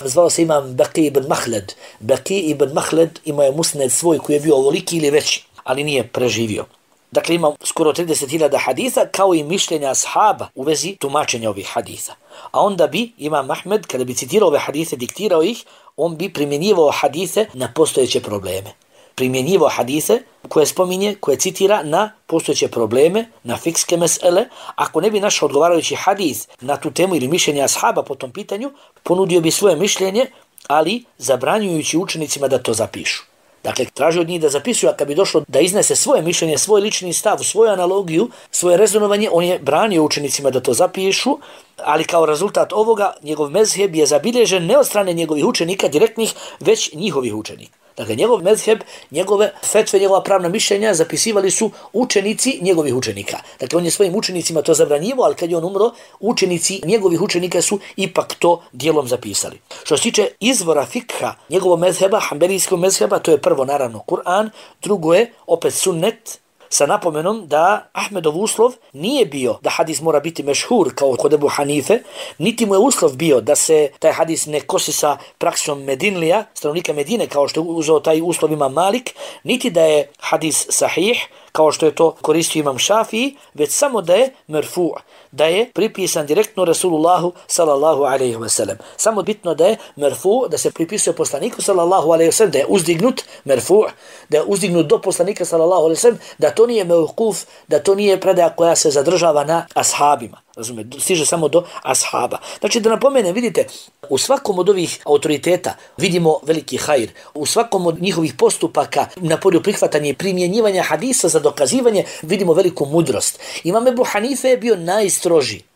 zvao se imam Baqi ibn Mahled. Baqi ibn Mahled imao je Musned svoj koji je bio ovoliki ili veći, ali nije preživio. Dakle, ima skoro 30.000 haditha, kao i mišljenja ashaba u vezi tumačenja ovih haditha. A onda bi imam Ahmed, kada bi citirao ove hadithe, diktirao ih, on bi primjenjivao hadithe na postojeće probleme. Primjenjivao hadithe koje spominje, koje citira na postojeće probleme, na fikske mesele. Ako ne bi našao odgovarajući hadith na tu temu ili mišljenja ashaba po tom pitanju, ponudio bi svoje mišljenje, ali zabranjujući učenicima da to zapišu. Dakle, traži od njih da zapisuju, a kad bi došlo da iznese svoje mišljenje, svoj lični stav, svoju analogiju, svoje rezonovanje, on je branio učenicima da to zapišu, ali kao rezultat ovoga, njegov mezheb je zabilježen ne od strane njegovih učenika direktnih, već njihovih učenika. Dakle, njegov mezheb, njegove fetve, njegova pravna mišljenja zapisivali su učenici njegovih učenika. Dakle, on je svojim učenicima to zabranjivo, ali kad je on umro, učenici njegovih učenika su ipak to dijelom zapisali. Što se tiče izvora fikha njegovog mezheba, hanbelijskog mezheba, to je prvo naravno Kur'an, drugo je opet sunnet, sa napomenom da Ahmedov uslov nije bio da hadis mora biti mešhur kao kod Ebu Hanife, niti mu je uslov bio da se taj hadis ne kosi sa praksom Medinlija, stanovnika Medine, kao što je uzeo taj uslov imam Malik, niti da je hadis sahih, kao što je to koristio imam Šafii, već samo da je merfu', da je pripisan direktno Rasulullahu sallallahu alaihi wa sallam. Samo bitno da je merfu', da se pripisuje poslaniku sallallahu alaihi wa sallam, da je uzdignut merfu', da je uzdignut do poslanika sallallahu alaihi wa sallam, da to nije mevkuf, da to nije predaja koja se zadržava na ashabima. Razumete, stiže samo do ashaba. Znači da napomenem, vidite, u svakom od ovih autoriteta vidimo veliki hajr. U svakom od njihovih postupaka na polju prihvatanja i primjenjivanja hadisa za dokazivanje vidimo veliku mudrost. Imam Ebu Hanife je bio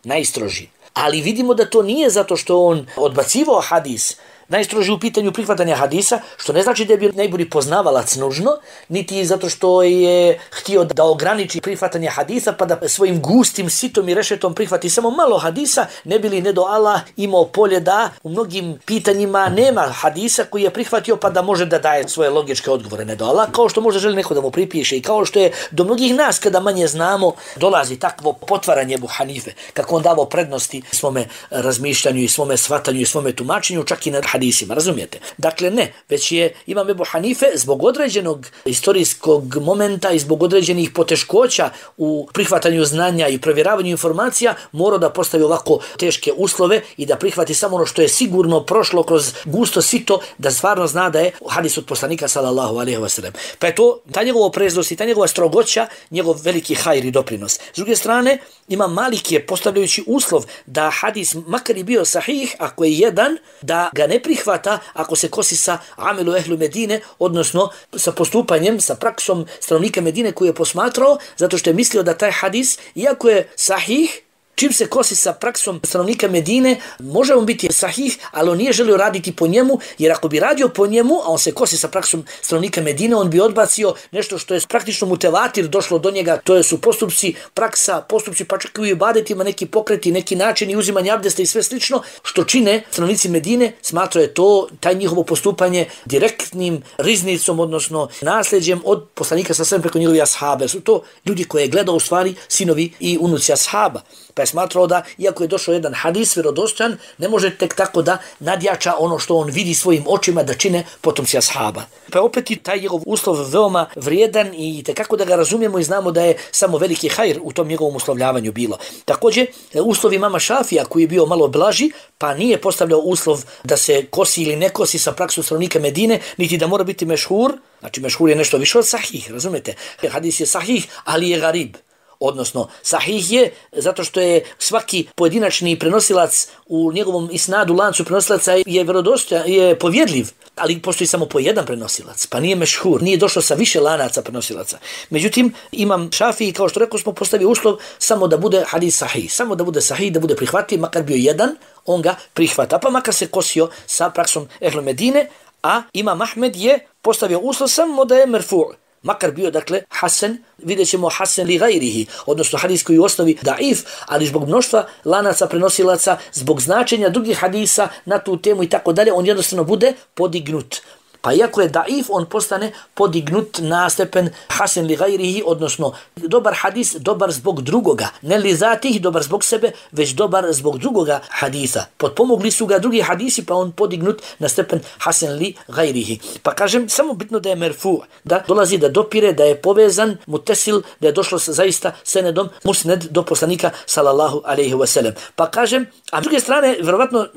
najstroži. Ali vidimo da to nije zato što on odbacivao hadis, najstroži u pitanju prihvatanja hadisa, što ne znači da je bio najbolji poznavalac nužno, niti zato što je htio da ograniči prihvatanje hadisa pa da svojim gustim sitom i rešetom prihvati samo malo hadisa, ne bi li nedo Allah imao polje da u mnogim pitanjima nema hadisa koji je prihvatio pa da može da daje svoje logičke odgovore. Nedo Allah, kao što možda želi neko da mu pripiše i kao što je do mnogih nas kada manje znamo dolazi takvo potvaranje Ebu Hanife, kako on davao prednosti svome razmišljanju i svome shvatanju i svome tumačenju, čak i na hadisima, razumijete? Dakle ne, već je Imam Ebu Hanife zbog određenog istorijskog momenta i zbog određenih poteškoća u prihvatanju znanja i provjeravanju informacija morao da postavi ovako teške uslove i da prihvati samo ono što je sigurno prošlo kroz gusto sito, da stvarno zna da je hadis od poslanika sallallahu alejhi ve sellem. Pa je to ta njegova opreznost i ta njegova strogoća, njegov veliki hajr i doprinos. S druge strane, Imam Malik je postavljajući uslov da hadis makar i bio sahih, ako je jedan, da ga ne prihvata ako se kosi sa amelu ehlu Medine, odnosno sa postupanjem, sa praksom stanovnika Medine koji je posmatrao, zato što je mislio da taj hadis, iako je sahih, čim se kosi sa praksom stanovnika Medine, može on biti sahih, ali on nije želio raditi po njemu, jer ako bi radio po njemu, a on se kosi sa praksom stanovnika Medine, on bi odbacio nešto što je praktično mutevatir došlo do njega, to su postupci, praksa, postupci, pa čak i u ibadetima, neki pokreti, neki načini uzimanja abdesta i sve slično, što čine stanovnici Medine, smatrao je to, taj njihovo postupanje direktnim riznicom, odnosno nasljeđem od poslanika sa svem preko njegovih ashaba. Su to ljudi koje je gledao u stvari sinovi i unuci ashaba. Pa je smatrao da, iako je došao jedan hadis vjerodostojan, ne može tek tako da nadjača ono što on vidi svojim očima da čine potomci ashaba. Pa je opet i taj njegov uslov veoma vrijedan i tekako da ga razumijemo i znamo da je samo veliki hajr u tom njegovom uslovljavanju bilo. Također, uslov imama Šafija koji je bio malo blaži, pa nije postavljao uslov da se kosi ili ne kosi sa praksom stanovnika Medine, niti da mora biti mešhur. Znači mešhur je nešto više od sahih, razumete? Hadis je sahih, ali je garib. Odnosno, sahih je zato što je svaki pojedinačni prenosilac u njegovom isnadu lancu prenosilaca je vjerodostojan, je povjerljiv, ali postoji samo po jedan prenosilac, pa nije mešhur, nije došlo sa više lanaca prenosilaca. Međutim, Imam Šafii, kao što rekao smo, postavio uslov samo da bude hadis sahih, samo da bude sahih, da bude prihvatljiv, makar bio jedan, on ga prihvata, pa makar se kosio sa praksom ehlu Medine, a Imam Ahmed je postavio uslov samo da je merfu'. Makar bio, dakle, hasan, vidjet ćemo hasan li gajrihi, odnosno hadis koji u osnovi daif, ali zbog mnoštva lanaca prenosilaca, zbog značenja drugih hadisa na tu temu i tako dalje, on jednostavno bude podignut. Pa iako je daif, on postane podignut na stepen hasan li gajrihi, odnosno dobar hadis, dobar zbog drugoga. Ne li zatih, dobar zbog sebe, već dobar zbog drugoga hadisa. Potpomogli su ga drugi hadisi, pa on podignut na stepen hasan li gajrihi. Pa kažem, samo bitno da je merfu, da dolazi da dopire, da je povezan, mutesil, da je došlo zaista senedom musned do poslanika sallallahu alejhi ve sellem. Pa kažem, a s druge strane, verovatno,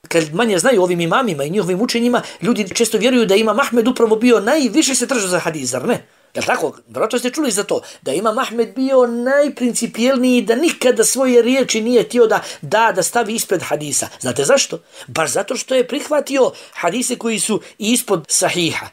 kad manje znaju ovim imamima i njihovim učenjima, ljudi često vjeruju da Imam Ahmed upravo bio najviše se držao za hadis, zar ne? Jel tako? Vjerojatno ste čuli za to. Da Imam Ahmed bio najprincipijelniji, da nikada svoje riječi nije htio da stavi ispred hadisa. Znate zašto? Baš zato što je prihvatio hadise koji su ispod sahiha.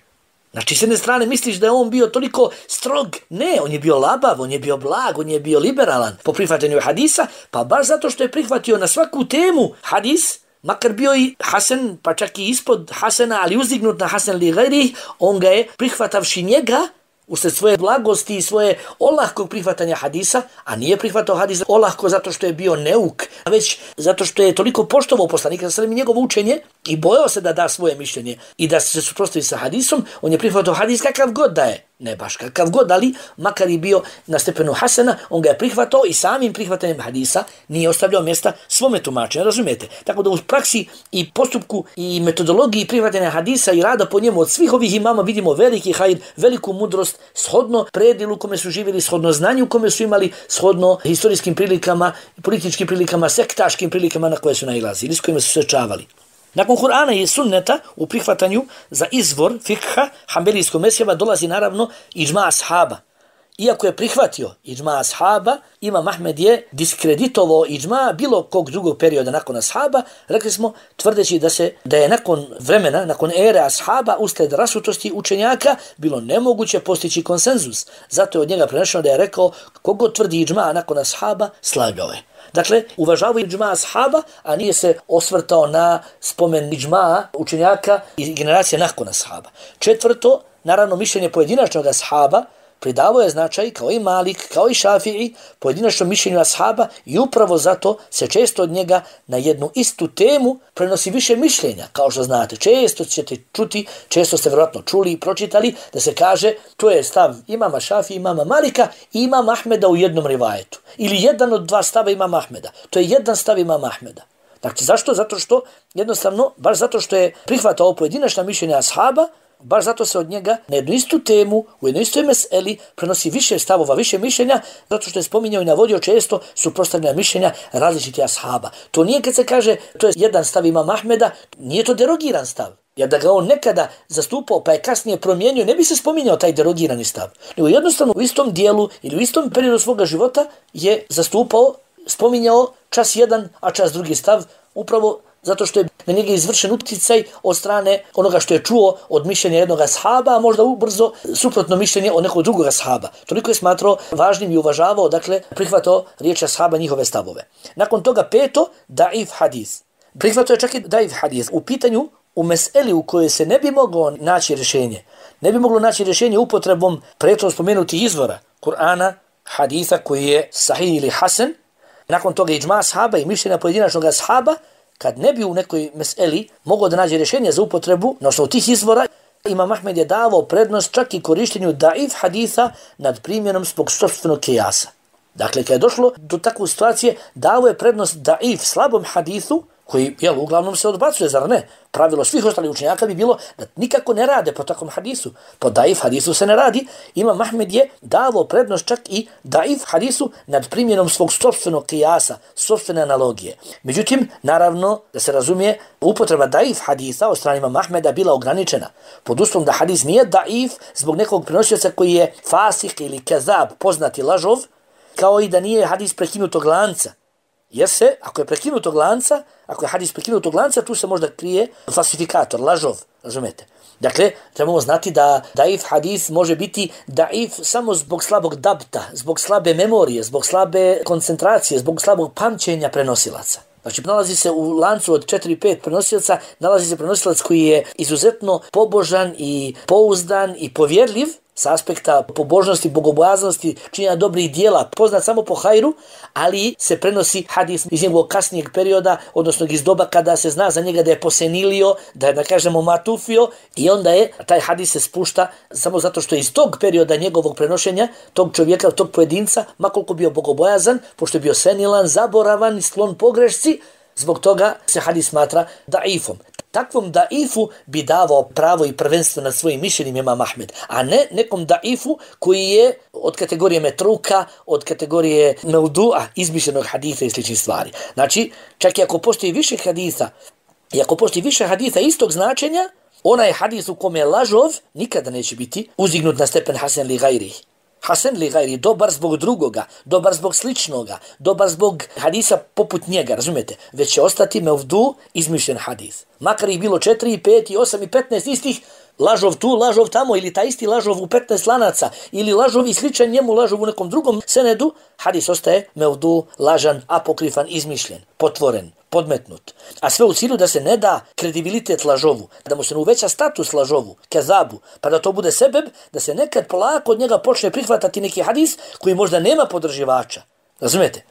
Znači, s jedne strane misliš da je on bio toliko strog. Ne, on je bio labav, on je bio blag, on je bio liberalan po prihvatanju hadisa, pa baš zato što je prihvatio na svaku temu hadis, makar bio i hasan, pa čak i ispod hasana, ali uzdignut na hasan li gajrih, on ga je prihvatavši njega, usred svoje blagosti i svoje olahkog prihvatanja hadisa, a nije prihvatao hadis olahko zato što je bio neuk, već zato što je toliko poštovao poslanika sa svim njegovo učenje i bojao se da da svoje mišljenje i da se suprotstavi sa hadisom, on je prihvatao hadis kakav god da je. Ne baš kakav god, ali makar i bio na stepenu hasana, on ga je prihvatao i samim prihvatanjem hadisa nije ostavljao mjesta svome tumačenju, razumijete? Tako da u praksi i postupku i metodologiji prihvatanja hadisa i rada po njemu od svih ovih imama vidimo veliki hajr, veliku mudrost, shodno predilu u kome su živjeli, shodno znanju u kome su imali, shodno historijskim prilikama, političkim prilikama, sektaškim prilikama na koje su nailazili, s kojima su se čavali. Nakon Kur'ana i sunneta u prihvatanju za izvor fikha hanbelijskog mezheba dolazi naravno iđma ashaba. iako je prihvatio iđma ashaba, Imam Ahmed je diskreditovao iđma bilo kog drugog perioda nakon ashaba, rekli smo, tvrdeći da je nakon vremena, nakon ere ashaba, uslijed rasutosti učenjaka, bilo nemoguće postići konsenzus. Zato je od njega prenešeno da je rekao, kogo tvrdi iđma nakon ashaba, slagao je. Dakle, uvažavao iđma ashaba, a nije se osvrtao na spomen iđma učenjaka i generacije nakon ashaba. Četvrto, naravno, mišljenje pojedinačnog ashaba pridavao je značaj, kao i Malik, kao i Šafii, pojedinačnom mišljenju ashaba i upravo zato se često od njega na jednu istu temu prenosi više mišljenja. Kao što znate, često ćete čuti, često ste vjerojatno čuli i pročitali da se kaže to je stav imama Šafii, imama Malika i imama Ahmeda u jednom rivajetu. Ili jedan od dva stava imama Ahmeda. To je jedan stav imama Ahmeda. Znači, zašto? Zato što, jednostavno, baš zato što je prihvatao pojedinačna mišljenja ashaba, baš zato se od njega na jednu istu temu, u jednoj istoj meseli prenosi više stavova, više mišljenja, zato što je spominjao i navodio često suprotstavljena mišljenja različitih ashaba. To nije kad se kaže, to je jedan stav imama Ahmeda, nije to derogiran stav. Jer da ga on nekada zastupao pa je kasnije promijenio, ne bi se spominjao taj derogirani stav. Nego jednostavno u istom dijelu ili u istom periodu svoga života je zastupao, spominjao čas jedan, a čas drugi stav, upravo zato što je na njega izvršen utjecaj od strane onoga što je čuo od mišljenja jednog ashaba, a možda ubrzo suprotno mišljenje od nekog drugog ashaba. Toliko je smatrao važnim i uvažavao, dakle, prihvatao riječi ashaba, njihove stavove. Nakon toga peto, daif hadis. Prihvatao je čak i daif hadis. U pitanju, u meseli u kojoj se ne bi moglo naći rješenje. Ne bi moglo naći rješenje upotrebom prethodno spomenutih izvora Kur'ana, haditha koji je sahih ili hasan. Nakon toga iđma ashaba i mišljenja pojedinačnog ashaba, kad ne bi u nekoj meseli mogao da nađe rješenje za upotrebu na osnovu tih izvora, Imam Ahmed je davao prednost čak i korištenju daif haditha nad primjenom zbog sopstvenog kijasa. Dakle, kad je došlo do takve situacije, dao je prednost daif slabom hadithu, koji, uglavnom se odbacuje, zar ne? Pravilo svih ostalih učenjaka bi bilo da nikako ne rade po takvom hadisu. Po daif hadisu se ne radi. Imam Ahmed je davao prednost čak i daif hadisu nad primjenom svog sopstvenog kijasa, sopstvene analogije. Međutim, naravno, da se razumije, upotreba daif hadisa od strane Imama Ahmeda bila ograničena. Pod uslovom da hadis nije daif zbog nekog prenosioca koji je fasih ili kezab, poznati lažov, kao i da nije hadis prekinutog lanca. Jer se, ako je prekinutog lanca, ako je hadis prekinutog lanca, tu se možda krije falsifikator, lažov, razumete? Dakle, trebamo znati da daif hadis može biti daif samo zbog slabog dabta, zbog slabe memorije, zbog slabe koncentracije, zbog slabog pamćenja prenosilaca. Znači, nalazi se u lancu od 4-5 prenosilaca, nalazi se prenosilac koji je izuzetno pobožan i pouzdan i povjerljiv, sa aspekta pobožnosti, bogobojaznosti, činjenja dobrih dijela, poznat samo po hajru, ali se prenosi hadis iz njegovog kasnijeg perioda, odnosno iz doba kada se zna za njega da je posenilio, da je, da kažemo, matufio, i onda je taj hadis se spušta samo zato što iz tog perioda njegovog prenošenja, tog čovjeka, tog pojedinca, makoliko bio bogobojazan, pošto je bio senilan, zaboravan i sklon pogrešci, zbog toga se hadis smatra daifom. Takvom daifu bi davao pravo i prvenstvo nad svojim mišljenjem Imam Ahmed, a ne nekom daifu koji je od kategorije metruka, od kategorije mevdu'a, izmišljenog haditha i sličnih stvari. Znači, čak i ako postoji više haditha, i ako postoji više haditha istog značenja, onaj hadis u kome je lažov nikada neće biti uzdignut na stepen hasan li gajrih. Hasan li gajri, dobar zbog drugoga, dobar zbog sličnoga, dobar zbog hadisa poput njega, razumete? Već će ostati mevdu, izmišljen hadis. Makar ih bilo 4, 5, 8 i 15 istih, lažov tu, lažov tamo, ili taj isti lažov u 15 lanaca, ili lažov i sličan njemu lažov u nekom drugom senedu, hadis ostaje mevdu, lažan, apokrifan, izmišljen, potvoren, podmetnut. A sve u cilju da se ne da kredibilitet lažovu, da mu se ne uveća status lažovu, kezabu, pa da to bude sebeb, da se nekad polako od njega počne prihvatati neki hadis koji možda nema podrživača. Razumete?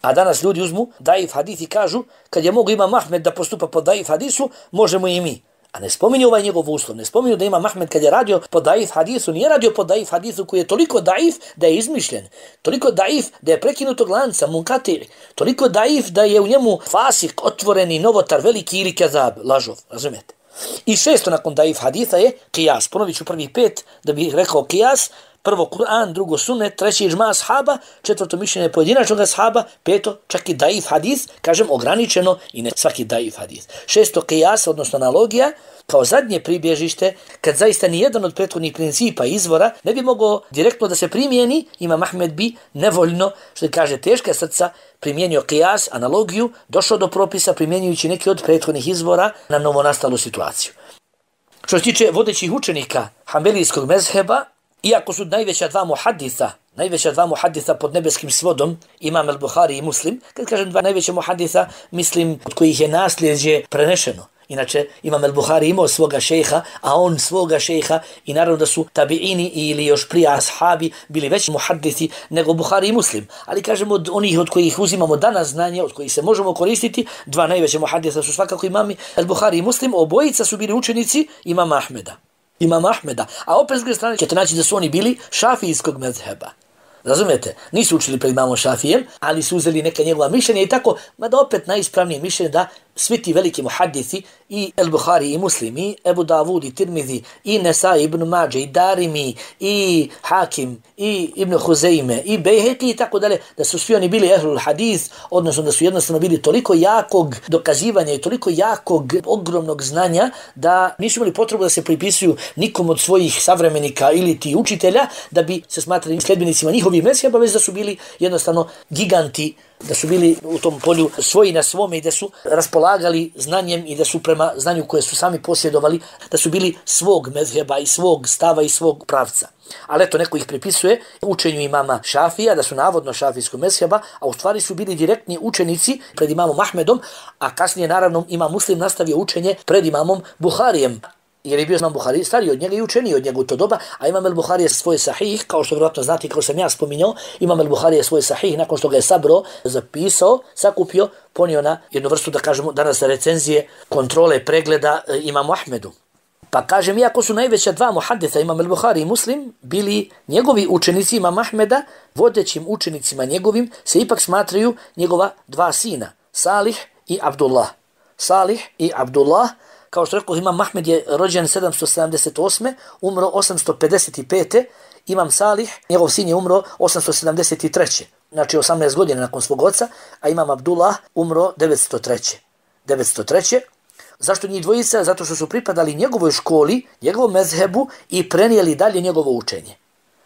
A danas ljudi uzmu daif hadis i kažu, kad je mogu Imam Ahmed da postupa po daif hadisu, možemo i mi. A ne spominju ovaj njegov uslov, ne spominju da Imam Ahmed kad je radio po daif hadisu, nije radio po daif hadisu koji je toliko daif da je izmišljen, toliko daif da je prekinutog lanca, munkatiri, toliko daif da je u njemu fasik, otvoreni novotar, veliki ili kezab, lažov, razumijete? I šesto nakon daif haditha je kijas. Ponovit ću prvih 5 da bih rekao kijas, prvo Kur'an, drugo sunnet, treće iđma ashaba, četvrto mišljenje pojedinačnog ashaba, peto čak i daif hadis, kažem ograničeno i ne svaki daif hadis. Šesto qiyas, odnosno analogija, kao zadnje pribježište, kad zaista nijedan od prethodnih principa izvora ne bi mogao direktno da se primijeni, Imam Ahmed bi nevoljno, što kaže teška srca, primijenio qiyas, analogiju, došao do propisa primjenjujući neki od prethodnih izvora na novonastalu situaciju. Što se tiče vodećih učenika hanbelijskog mezheba, iako su najveća dva muhaditha pod nebeskim svodom, Imam al-Buhari i Muslim, kad kažem dva najveća muhaditha, mislim od kojih je nasljeđe prenešeno. Inače, Imam al-Buhari imao svoga šejha, a on svoga šejha, i naravno da su tabiini ili još prije ashabi bili veći muhadithi nego Buhari i Muslim. Ali kažemo od onih od kojih uzimamo danas znanje, od kojih se možemo koristiti, dva najveća muhaditha su svakako imami al-Buhari i Muslim, obojica su bili učenici Imama Ahmeda. A opet s druge strane ćete naći da su oni bili šafijskog mezheba. Razumijete? Nisu učili pred imamom Šafijem, ali su uzeli neka njegova mišljenja i tako, mada opet najispravnije mišljenje da svi ti veliki muhadithi, i al-Buhari i Muslim, i Ebu Davud i Tirmidhi, i Nesai, Ibn Mađe, i Darimi, i Hakim, i Ibn Huzeyme, i Bejheki i tako dalje, da su svi oni bili ehlul hadis, odnosno da su jednostavno bili toliko jakog dokazivanja i toliko jakog, ogromnog znanja, da nisu imali potrebu da se pripisuju nikom od svojih savremenika ili ti učitelja, da bi se smatrali sljedbenicima njihovih mezheba, već da su bili jednostavno giganti, da su bili u tom polju svoji na svome i da su raspolagali znanjem i da su prema znanju koje su sami posjedovali, da su bili svog mezheba i svog stava i svog pravca. Ali eto, neko ih pripisuje učenju imama Šafija, da su navodno šafijskog mezheba, a u stvari su bili direktni učenici pred imamom Ahmedom, a kasnije naravno imam Muslim nastavio učenje pred imamom Buharijem. Jer je bio imam Buhari stariji od njega i učeniji od njega u to doba, a imam al-Buhari je svoj sahih, kao što vjerojatno znate, kao sam ja spominjao, imam al-Buhari je svoj sahih, nakon što ga je sabro, zapisao, sakupio, ponio na jednu vrstu, da kažemo, danas recenzije, kontrole, pregleda imamu Ahmedu. Pa kažem, iako su najveća dva muhaditha, imam al-Buhari i Muslim, bili njegovi učenici imam Ahmeda, vodećim učenicima njegovim se ipak smatraju njegova dva sina, Salih i Abdullah. Kao što rekao, imam Ahmed je rođen 778. umro 855. Imam Salih, njegov sin je umro 873. Znači 18 godina nakon svog oca, a imam Abdullah umro 903. Zašto njih dvojica? Zato što su pripadali njegovoj školi, njegovom mezhebu i prenijeli dalje njegovo učenje.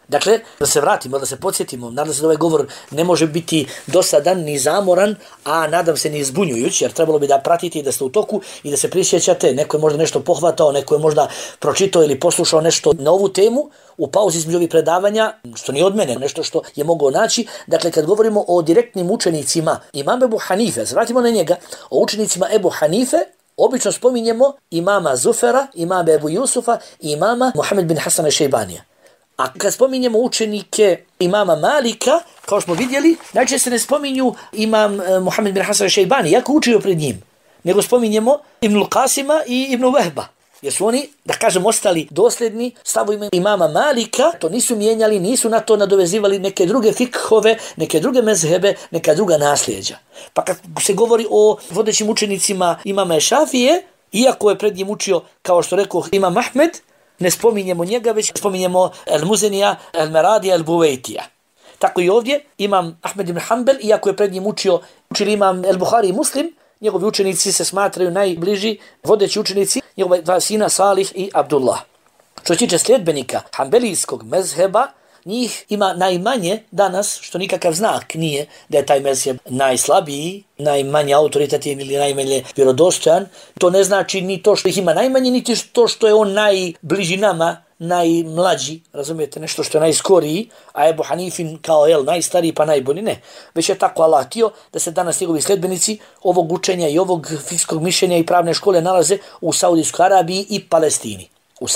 Dakle, da se vratimo, da se podsjetimo, nadam se da ovaj govor ne može biti dosadan ni zamoran, a nadam se ni zbunjujući, jer trebalo bi da pratite i da ste u toku i da se prisjećate. Neko je možda nešto pohvatao, neko je možda pročitao ili poslušao nešto na ovu temu u pauzi između ovih predavanja, što nije od mene, nešto što je mogao naći. Dakle, kad govorimo o direktnim učenicima imama Ebu Hanife, vratimo na njega, o učenicima Ebu Hanife, obično spominjemo imama Zufera, imama Ebu Jusufa i imama Muhammed bin Hasana Šejbanija. A kad spominjemo učenike imama Malika, kao smo vidjeli, najčešće se ne spominju imam Muhammed bin Hasan Šejbani, jako učio pred njim, nego spominjemo Ibnul Qasima i Ibnu Vehba, jer su oni, da kažem, ostali dosljedni stavovima imama Malika, to nisu mijenjali, nisu na to nadovezivali neke druge fikhove, neke druge mezhebe, neka druga nasljeđa. Pa kad se govori o vodećim učenicima imama Šafije, iako je pred njim učio, kao što rekao imam Ahmed, ne spominjemo njega, već spominjemo Al-Muzenija, Al-Meradija, Al-Buvejtija. Tako i ovdje imam Ahmed ibn Hanbel, iako je pred njim učili imam Al-Buhari i Muslim, njegovi učenici se smatraju najbliži vodeći učenici, njegova dva sina Salih i Abdullah. Što se tiče sljedbenika hanbelijskog mezheba, njih ima najmanje danas, što nikakav znak nije da je taj mezheb najslabiji, najmanje autoritativni ili najmanje vjerodostojan. To ne znači ni to što ih ima najmanje, niti to što je on najbliži nama, najmlađi, razumijete, nešto što je najskoriji, a Ebu Hanifin kao najstariji pa najbolji, ne. Već je tako Allah htio da se danas njegovi sljedbenici ovog učenja i ovog fikskog mišljenja i pravne škole nalaze u Saudijskoj Arabiji i Palestini. U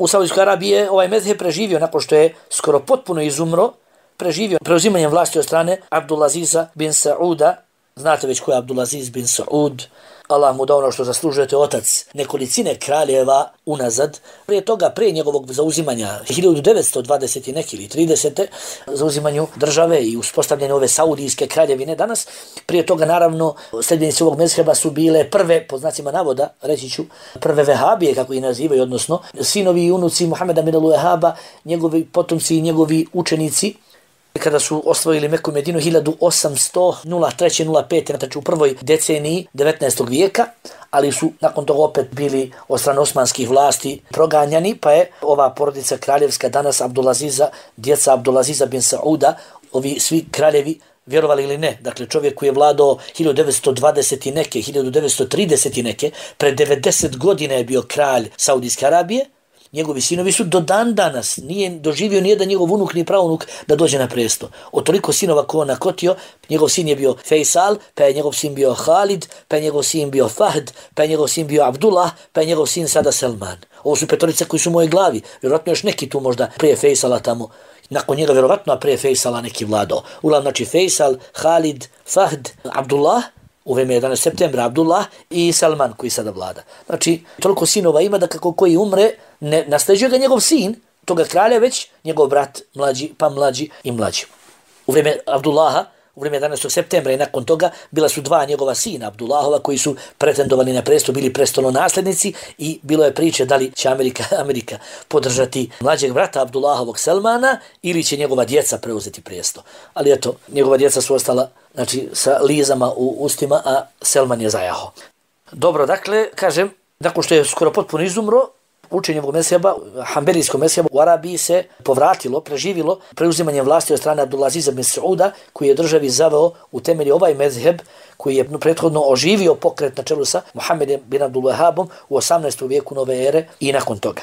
Saudijskoj Arabiji je ovaj mezheb preživio nakon što je skoro potpuno izumro, preživio preuzimanjem vlasti od strane Abdulaziza bin Sauda. Znate već ko je Abdulaziz bin Saud. Allah mu dao ono što zaslužujete, otac nekolicine kraljeva unazad. Prije toga, prije njegovog zauzimanja 1920 neki ili 30. zauzimanju države i uspostavljanju ove saudijske kraljevine danas, prije toga naravno sljedbenici ovog mezheba su bile prve, po znacima navoda, reći ću, prve vehabije, kako ih nazivaju, odnosno sinovi i unuci Muhameda bin al-Wahhaba, njegovi potomci i njegovi učenici, kada su osvojili Meku i Medinu 1803-05, znači u prvoj deceniji 19. vijeka, ali su nakon toga opet bili od strane osmanskih vlasti proganjani, pa je ova porodica kraljevska danas Abdulaziza, djeca Abdulaziza bin Sauda, ovi svi kraljevi, vjerovali ili ne, dakle čovjek koji je vladao 1920 i neke, 1930 i neke, pred 90 godina je bio kralj Saudijske Arabije, njegovi sinovi su do dan danas, nije doživio nijedan njegov unuk ni praunuk da dođe na presto. Od toliko sinova ko on nakotio, njegov sin je bio Faisal, pa je njegov sin bio Khalid, pa je njegov sin bio Fahd, pa je njegov sin bio Abdullah, pa je njegov sin sada Salman. Ovo su petorice koji su u mojoj glavi, vjerojatno još neki tu možda prije Faisala tamo, nakon njega vjerovatno, a prije Faisala neki vladao. Uglavnom, znači Faisal, Khalid, Fahd, Abdullah, u vreme 11. septembra Abdullah i Salman koji sada vlada. Znači, toliko sinova ima da kako koji umre, ne nasljeđuje ga njegov sin, toga kralja, već njegov brat mlađi, pa mlađi i mlađi. U vreme Abdullaha, u vreme 11. septembra i nakon toga bila su dva njegova sina Abdullahova koji su pretendovali na presto, bili prestolonaslednici i bilo je priče da li će Amerika podržati mlađeg brata Abdullahovog Salmana ili će njegova djeca preuzeti presto. Ali eto, njegova djeca su ostala, znači, sa lizama u ustima, a Salman je zajaho. Dobro, dakle, kažem, nakon što je skoro potpuno izumro, učenje ovog mezheba, Hanbelijskog mezheba u Arabiji se povratilo, preživilo preuzimanjem vlasti od strane Abdulaziza bin Sauda, koji je državi zaveo u temelji ovaj mezheb, koji je prethodno oživio pokret na čelu sa Muhammedom bin Abdul Wahhabom u 18. vijeku nove ere i nakon toga.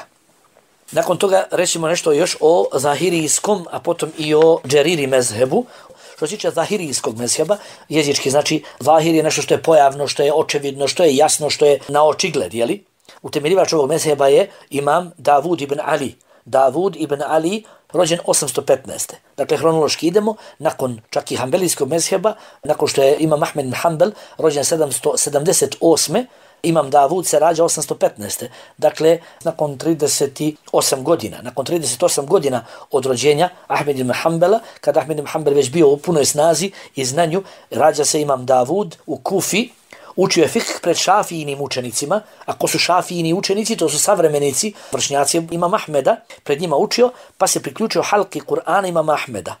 Nakon toga rećemo nešto još o zahirijskom, a potom i o džeriri mezhebu. Što se tiče zahirijskog mezheba, jezički znači zahir je nešto što je pojavno, što je očevidno, što je jasno, što je na očigled, jeli? Utemeljivač ovog mezheba je imam Davud ibn Ali. Davud ibn Ali, rođen 815. Dakle, hronološki idemo, nakon čak i Hanbelijskog mezheba, nakon što je imam Ahmed bin Hanbel, rođen 778. Imam Davud se rađa 815. Dakle, nakon 38 godina. Nakon 38 godina od rođenja Ahmed ibn Hanbela, kada Ahmed ibn Hanbel već bio u punoj snazi i znanju, rađa se imam Davud u Kufi. Učio je fikh pred šafijnim učenicima. Ako su šafijni učenici, to su savremenici, vršnjaci imama Ahmeda, pred njima učio, pa se priključio halki Kur'ana imama Ahmeda.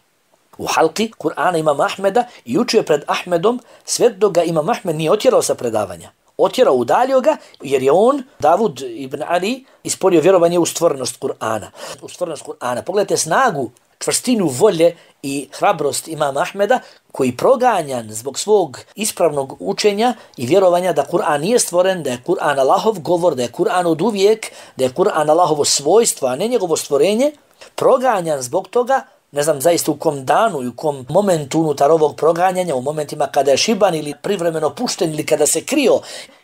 U halki Kur'ana imama Ahmeda i učio pred Ahmedom sve dok ga imam Ahmed nije otjerao sa predavanja. Otjerao, udaljio ga, jer je on, Davud ibn Ali, ispolio vjerovanje u stvornost Kur'ana. U stvornost Kur'ana. Pogledajte snagu, čvrstinu volje i hrabrost imama Ahmeda, koji proganjan zbog svog ispravnog učenja i vjerovanja da Kur'an nije stvoren, da je Kur'an Allahov govor, da je Kur'an od uvijek, da je Kur'an Allahovo svojstvo, a ne njegovo stvorenje, proganjan zbog toga, ne znam zaista u kom danu i u kom momentu unutar ovog proganjanja, u momentima kada je šiban ili privremeno pušten ili kada se krio,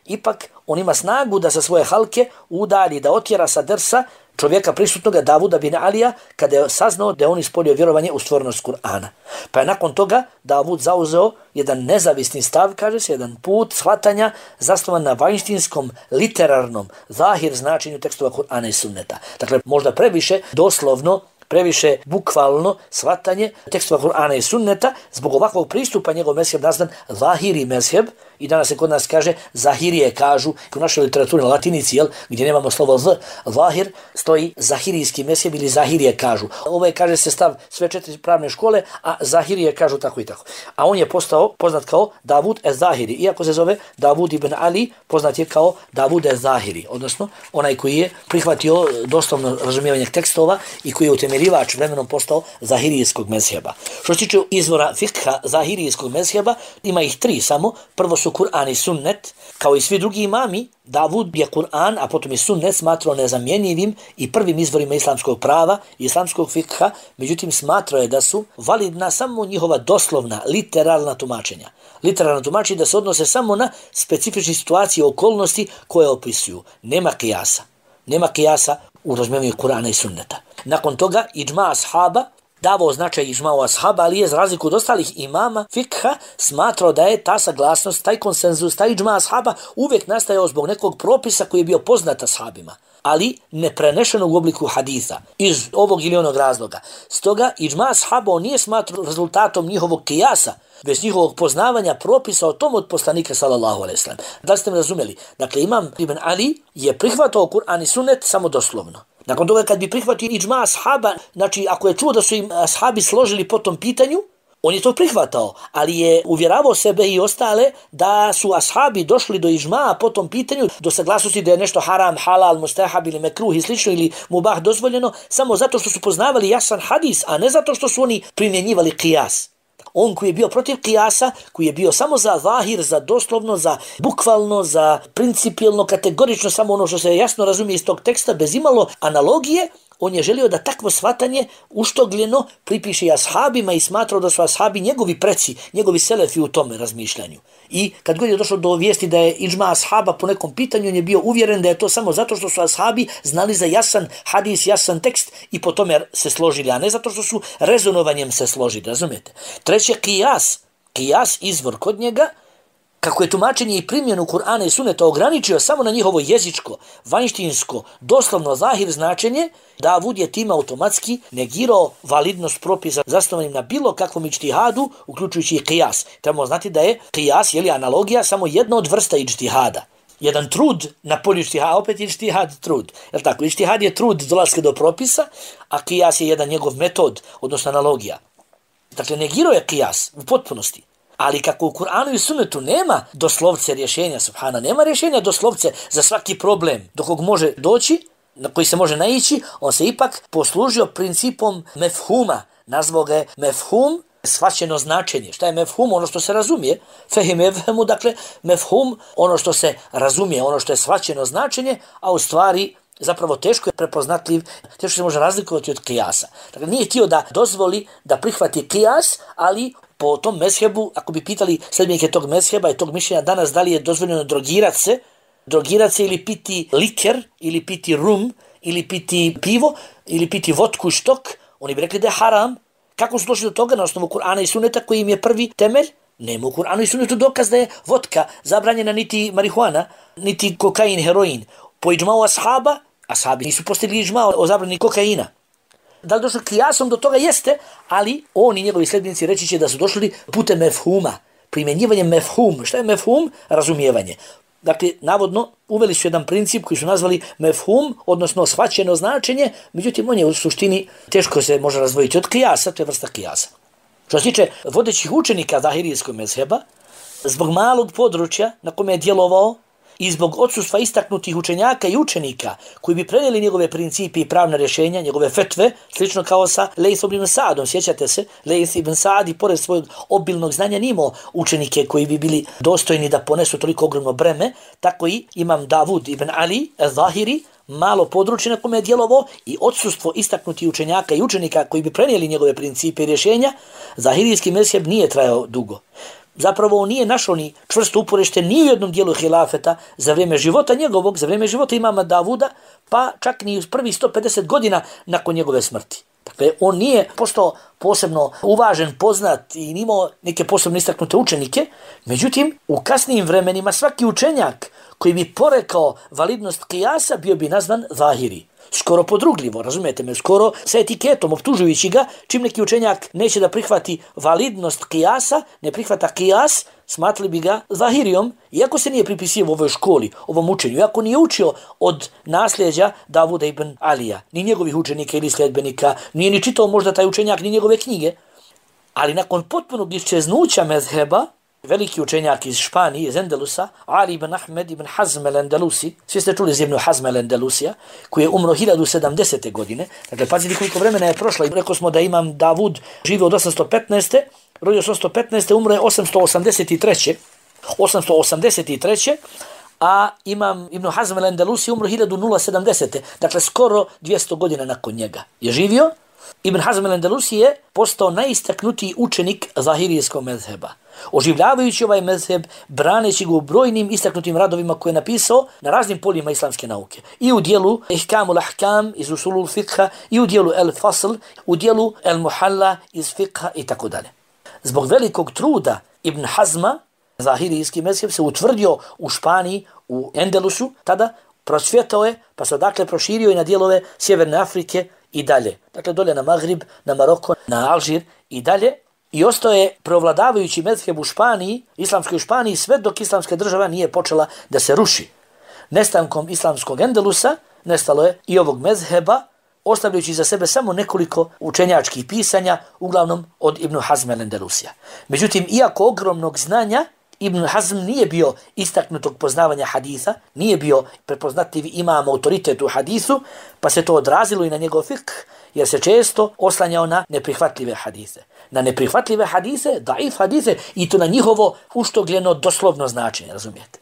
ipak on ima snagu da sa svoje halke udalji, da otjera sa drsa čovjeka prisutnoga Davuda bin Alija kada je saznao da je on ispolio vjerovanje u stvornost Kur'ana. Pa je nakon toga Davud zauzeo jedan nezavisni stav, kaže se, jedan put shvatanja zasnovan na vanjštinskom, literarnom, zahir značenju tekstova Kur'ana i sunneta. Dakle, možda previše doslovno, previše bukvalno shvatanje tekstova Kur'ana i sunneta, zbog ovakvog pristupa njegov mezheb nazvan zahiri mezheb, i danas se kod nas kaže zahirije, kažu u našoj literaturi na latinici, gdje nemamo slovo z, zahir, stoji zahirijski mezheb ili zahirije, kažu. Ovo je, kaže se, stav sve 4 pravne škole, a zahirije kažu tako i tako. A on je postao poznat kao Davud ez-Zahiri, iako se zove Davud ibn Ali, poznat je kao Davud ez-Zahiri, odnosno onaj koji je prihvatio doslovno razumijevanje tekstova i koji je utemeljivač vremenom postao zahirijskog mezheba. Što se tiče izvora fikha zahirijskog mezheba, ima ih 3 samo. Prvo su Kur'an i sunnet. Kao i svi drugi imami, Davud je Kur'an, a potom i sunnet smatrao nezamjenjivim i prvim izvorima islamskog prava i islamskog fikha, međutim smatrao je da su validna samo njihova doslovna, literalna tumačenja. Literalna tumačenja da se odnose samo na specifične situacije i okolnosti koje opisuju. Nema kijasa. Nema kijasa u razumijevanju Kur'ana i sunneta. Nakon toga, idžma ashaba, davao značaj ižma'u ashaba, ali je za razliku od ostalih imama fikha smatrao da je ta saglasnost, taj konsenzus, taj ižma' ashaba uvijek nastajao zbog nekog propisa koji je bio poznat ashabima, ali ne prenešeno u obliku haditha iz ovog ili onog razloga. Stoga ižma' ashaba on nije smatrao rezultatom njihovog kijasa, bez njihovog poznavanja propisa o tom od poslanika sallallahu alejhi ve sellem. Da li ste me razumjeli? Dakle, imam Ibn Ali je prihvatao Kur'an i sunnet samo doslovno. Nakon toga kad bi prihvatio ižma' ashaba, znači ako je čuo da su im ashabi složili po tom pitanju, on je to prihvatao, ali je uvjeravao sebe i ostale da su ashabi došli do ižma'a po tom pitanju, do saglasnosti da je nešto haram, halal, mustahab ili mekruh i slično ili mubah dozvoljeno, samo zato što su poznavali jasan hadis, a ne zato što su oni primjenjivali qiyas. On koji je bio protiv kijasa, koji je bio samo za zahir, za doslovno, za bukvalno, za principijelno, kategorično, samo ono što se jasno razumije iz tog teksta, bez imalo analogije, on je želio da takvo shvatanje uštogljeno pripiše ashabima i smatrao da su ashabi njegovi preci, njegovi selefi u tome razmišljanju. I kad god je došlo do vijesti da je ižma' ashaba po nekom pitanju, on je bio uvjeren da je to samo zato što su ashabi znali za jasan hadis, jasan tekst i po tome se složili, a ne zato što su rezonovanjem se složili, razumijete? Treće, qiyas. Qiyas, izvor kod njega, kako je tumačenje i primjenu Kur'ana i Sunneta ograničio samo na njihovo jezičko, vanjštinsko, doslovno zahir značenje, Davud je time automatski negirao validnost propisa zasnovanim na bilo kakvom ijtihadu, uključujući i qiyas. Trebamo znati da je qiyas, jeli analogija, samo jedna od vrsta ijtihada. Jedan trud na polju ijtihada, opet ijtihad trud. Jel tako? Ijtihad je trud dolaska do propisa, a qiyas je jedan njegov metod, odnosno analogija. Dakle, negirao je qiyas u potpunosti. Ali kako u Kur'anu i Sunnetu nema doslovce rješenja, subhana, nema rješenja doslovce za svaki problem do kog može doći, na koji se može naići, on se ipak poslužio principom mefhuma. Nazvao ga je mefhum, shvaćeno značenje. Šta je mefhum? Ono što se razumije. Fehim evhemu, dakle, mefhum, ono što se razumije, ono što je shvaćeno značenje, a u stvari zapravo teško je prepoznatljiv, teško se može razlikovati od kijasa. Dakle, nije htio da dozvoli da prihvati kijas, ali po tom mezhebu, ako bi pitali sljedbenike tog mezheba i tog mišljenja danas da li je dozvoljeno drogirat se ili piti liker, ili piti rum, ili piti pivo, ili piti vodku i štok, oni bi rekli da je haram. Kako su došli do toga? Na osnovu Kur'ana i Sunneta koji im je prvi temelj? Nema u Kur'anu i Sunnetu dokaz da je vodka zabranjena, niti marihuana, niti kokain, heroin. Po iđma'u ashaba, ashabi nisu postigli iđma' o zabrani kokaina. Da li došlo kijasom do toga? Jeste, ali oni i njegovi sljedbenici reći će da su došli putem mefhuma, primjenjivanjem mefhum. Šta je mefhum? Razumijevanje. Dakle, navodno, uveli su jedan princip koji su nazvali mefhum, odnosno shvaćeno značenje, međutim, on je u suštini teško se može razvojiti od kijasa, to je vrsta kijasa. Što se tiče vodećih učenika zahirijskog mezheba, zbog malog područja na kome je djelovao i zbog odsustva istaknutih učenjaka i učenika koji bi prenijeli njegove principi i pravna rješenja, njegove fetve, slično kao sa Lejth ibn Sa'dom. Sjećate se, Lejth ibn Sa'd i pored svojeg obilnog znanja nimao učenike koji bi bili dostojni da ponesu toliko ogromno breme, tako i imam Davud ibn Ali al-Zahiri, malo područje na kome je djelovao i odsustvo istaknutih učenjaka i učenika koji bi prenijeli njegove principe i rješenja, zahirijski mezheb nije trajao dugo. Zapravo on nije našao ni čvrsto uporište ni u jednom dijelu hilafeta za vrijeme života njegovog, za vrijeme života imama Davuda, pa čak ni u prvih 150 godina nakon njegove smrti. Dakle, on nije postao posebno uvažen, poznat i nimao neke posebno istaknute učenike, međutim, u kasnijim vremenima svaki učenjak koji bi porekao validnost kijasa bio bi nazvan zahiri. Skoro podrugljivo, razumijete me, skoro sa etiketom, optužujući ga, čim neki učenjak neće da prihvati validnost kijasa, ne prihvata kijas, smatrali bi ga zahirijom, iako se nije pripisio u ovoj školi, ovom učenju, iako nije učio od nasljeđa Davuda ibn Alija, ni njegovih učenika ili sljedbenika, nije ni čitao možda taj učenjak, ni njegove knjige, ali nakon potpunog iščeznuća mezheba, veliki učenjak iz Španije, iz Endelusa, Ali ibn Ahmed ibn Hazm el-Endelusi, svi ste čuli za Ibn Hazm el-Endelusija, koji je umro 1070. godine. Dakle, pazite koliko vremena je prošlo. Rekao smo da imam Davud živio od 815. Rodio 815. Umro je 883. A imam Ibn Hazm el-Endelusi umro 1070. Dakle, skoro 200 godina nakon njega je živio. Ibn Hazm el-Endelusi je postao najistaknutiji učenik zahirijskog mezheba. oživljavajući ovaj mezheb, braneći ga u brojnim istaknutim radovima koje je napisao na raznim poljima islamske nauke. I u dijelu Ihkamul Ahkam iz Usulul Fiqha, i u dijelu El Fasl, u dijelu El Muhalla iz Fiqha i tako dalje. Zbog velikog truda Ibn Hazma, zahirijski mezheb se utvrdio u Španiji, u Endelusu, tada prosvjetao je, pa se odakle proširio i na dijelove Sjeverne Afrike i dalje. Dakle, dolje na Magrib, na Maroko, na Alžir i dalje. I ostao je preovladavajući mezheb u Španiji, islamskoj Španiji, sve dok islamska država nije počela da se ruši. Nestankom islamskog Endelusa nestalo je i ovog mezheba, ostavljajući za sebe samo nekoliko učenjačkih pisanja, uglavnom od Ibn Hazma el-Endelusija. Međutim, iako ogromnog znanja, Ibn Hazm nije bio istaknutog poznavanja haditha, nije bio prepoznatljiv imam autoritet u hadithu, pa se to odrazilo i na njegov fikh, jer se često oslanjao na neprihvatljive hadise. Na neprihvatljive hadise, daif hadise, i to na njihovo uštogljeno doslovno značenje, razumijete.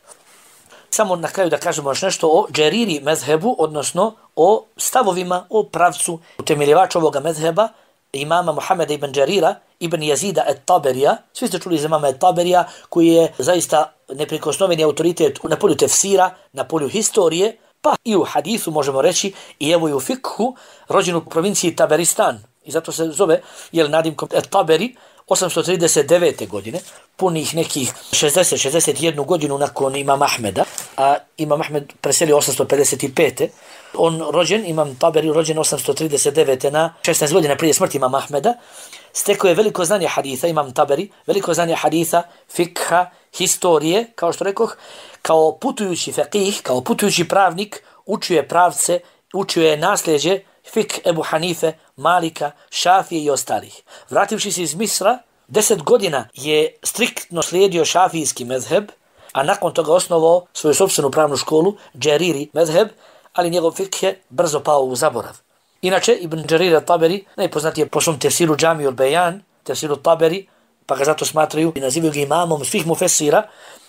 Samo na kraju da kažemo još nešto o Džeriri mezhebu, odnosno o stavovima, o pravcu utemeljivača ovoga mezheba, imama Muhameda ibn Džerira, ibn Jazida et-Taberija. Svi ste čuli za imama et-Taberija, koji je zaista neprikosnoveni autoritet na polju tefsira, na polju historije, pa i u hadithu možemo reći, i evo i u fikhu, rođen u provinciji Taberistan. I zato se zove, nadimkom et-Taberi, 839. godine, punih nekih 60-61 godinu nakon imama Ahmeda, a imam Ahmed preselio 855. On rođen, imam Taberi, rođen 839. na 16 godina prije smrti imama Ahmeda, stekao je veliko znanje haditha, imam Taberi, veliko znanje haditha, fikha, historije, kao što rekoh, kao putujući faqih, kao putujući pravnik, učio je pravce, učio je nasljeđe, fik Ebu Hanife, Malika, Šafije i ostalih. Vrativši se iz Misra, 10 godina je striktno slijedio šafijski mezheb, a nakon toga osnovao svoju sopstvenu pravnu školu, Džeriri mezheb, ali njegov fik je brzo pao u zaborav. Inače, Ibn Džerir al-Taberi, najpoznatiji je po svom tefsiru Džamiju al-Bejan, tefsiru Taberi, pa ga zato smatraju i nazivaju ga imamom svih mufesira,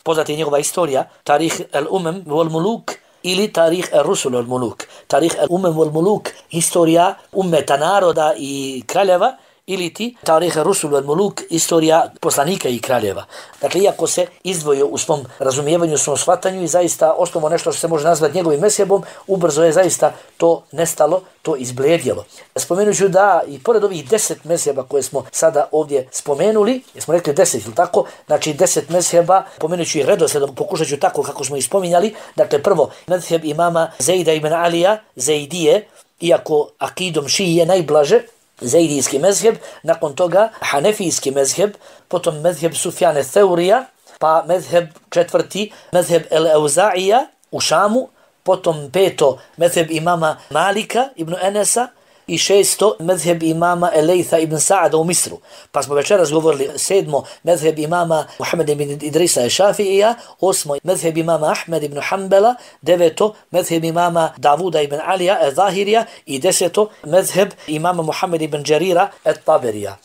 poznata je njegova istorija, Tarih al-Umem wal-Muluk, ili Tarih al-Rusul wal-Muluk. Tarih al-Umem wal-Muluk, historija ummeta, naroda i kraljeva, ili ti Tarih al-Rusul wal-Muluk, historija poslanika i kraljeva. Dakle, iako se izdvojio u svom razumijevanju, u svom shvatanju i zaista osnovo nešto što se može nazvati njegovim mezhebom, ubrzo je zaista to nestalo, to izblijedjelo. Spomenut ću da i pored ovih 10 mezheba koje smo sada ovdje spomenuli, smo rekli 10, ili tako, znači 10 mezheba, pomenut ću i redosledom, pokušat ću tako kako smo ih spominjali. Dakle, prvo, mezheb imama Zejda ibn Alija, Zejdije, iako akidom šije najblaže, Zejdijski mezheb, nakon toga Hanefijski mezheb, potom mezheb Sufjane Theurija, pa mezheb četvrti, mezheb El-Euza'ija u Šamu, potom peto, mezheb imama Malika ibn Enesa, i šesto, mezheb imama Elejtha ibn Sa'ada u Misru. Pa smo večeras govorili sedmo, mezheb imama Muhammeda ibn Idrisa Šafija, osmo, mezheb imama Ahmed ibn Hanbala, deveto, mezheb imama Davuda ibn Alija Zahirija i deseto, mezheb imama Muhammeda ibn Džerira et-Taberija.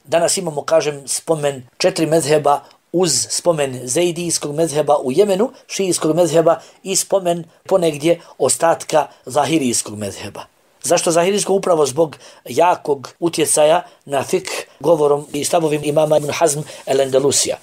Danas imamo, kažem, spomen 4 mezheba uz spomen Zejdijskog mezheba u Jemenu, šijijskog mezheba i spomen ponegdje ostatka zahirijskog mezheba. Zašto zahirijsko? Upravo zbog jakog utjecaja na fik govorom i stavovim imama Ibn Hazm el-Endelusija.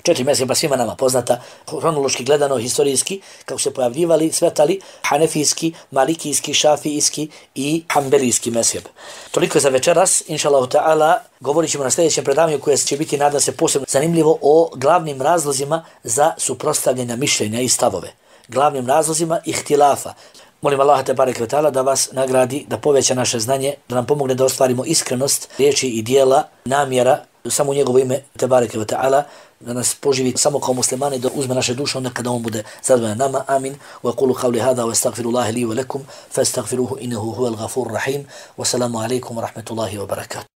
4 mezheba svima nama poznata, hronološki gledano, historijski, kako se pojavljivali, svetali, hanefijski, malikijski, šafijski i hanbelijski mezheb. Toliko za večeras, inšallahu ta'ala, govorit ćemo na sljedećem predavanju koje će biti, nadam se, posebno zanimljivo o glavnim razlozima za suprotstavljanja mišljenja i stavove. Glavnim razlozima ihtilafa. Molim Allaha te bareke ve taala da vas nagradi, da poveća naše znanje, da nam pomogne da ostvarimo iskrenost riječi i dijela, namjera, samo u njegovo ime te bareke ve taala, da nas poživi samo kao muslimani, da uzme naše duše onda kada on bude zadovoljan nama. Amin. Wa qulu qawli hada wa astaghfirullaha li wa lakum fastaghfiruhu innahu huwal ghafurur rahim. Wa salamu alaykum wa rahmatullahi wa barakatuh.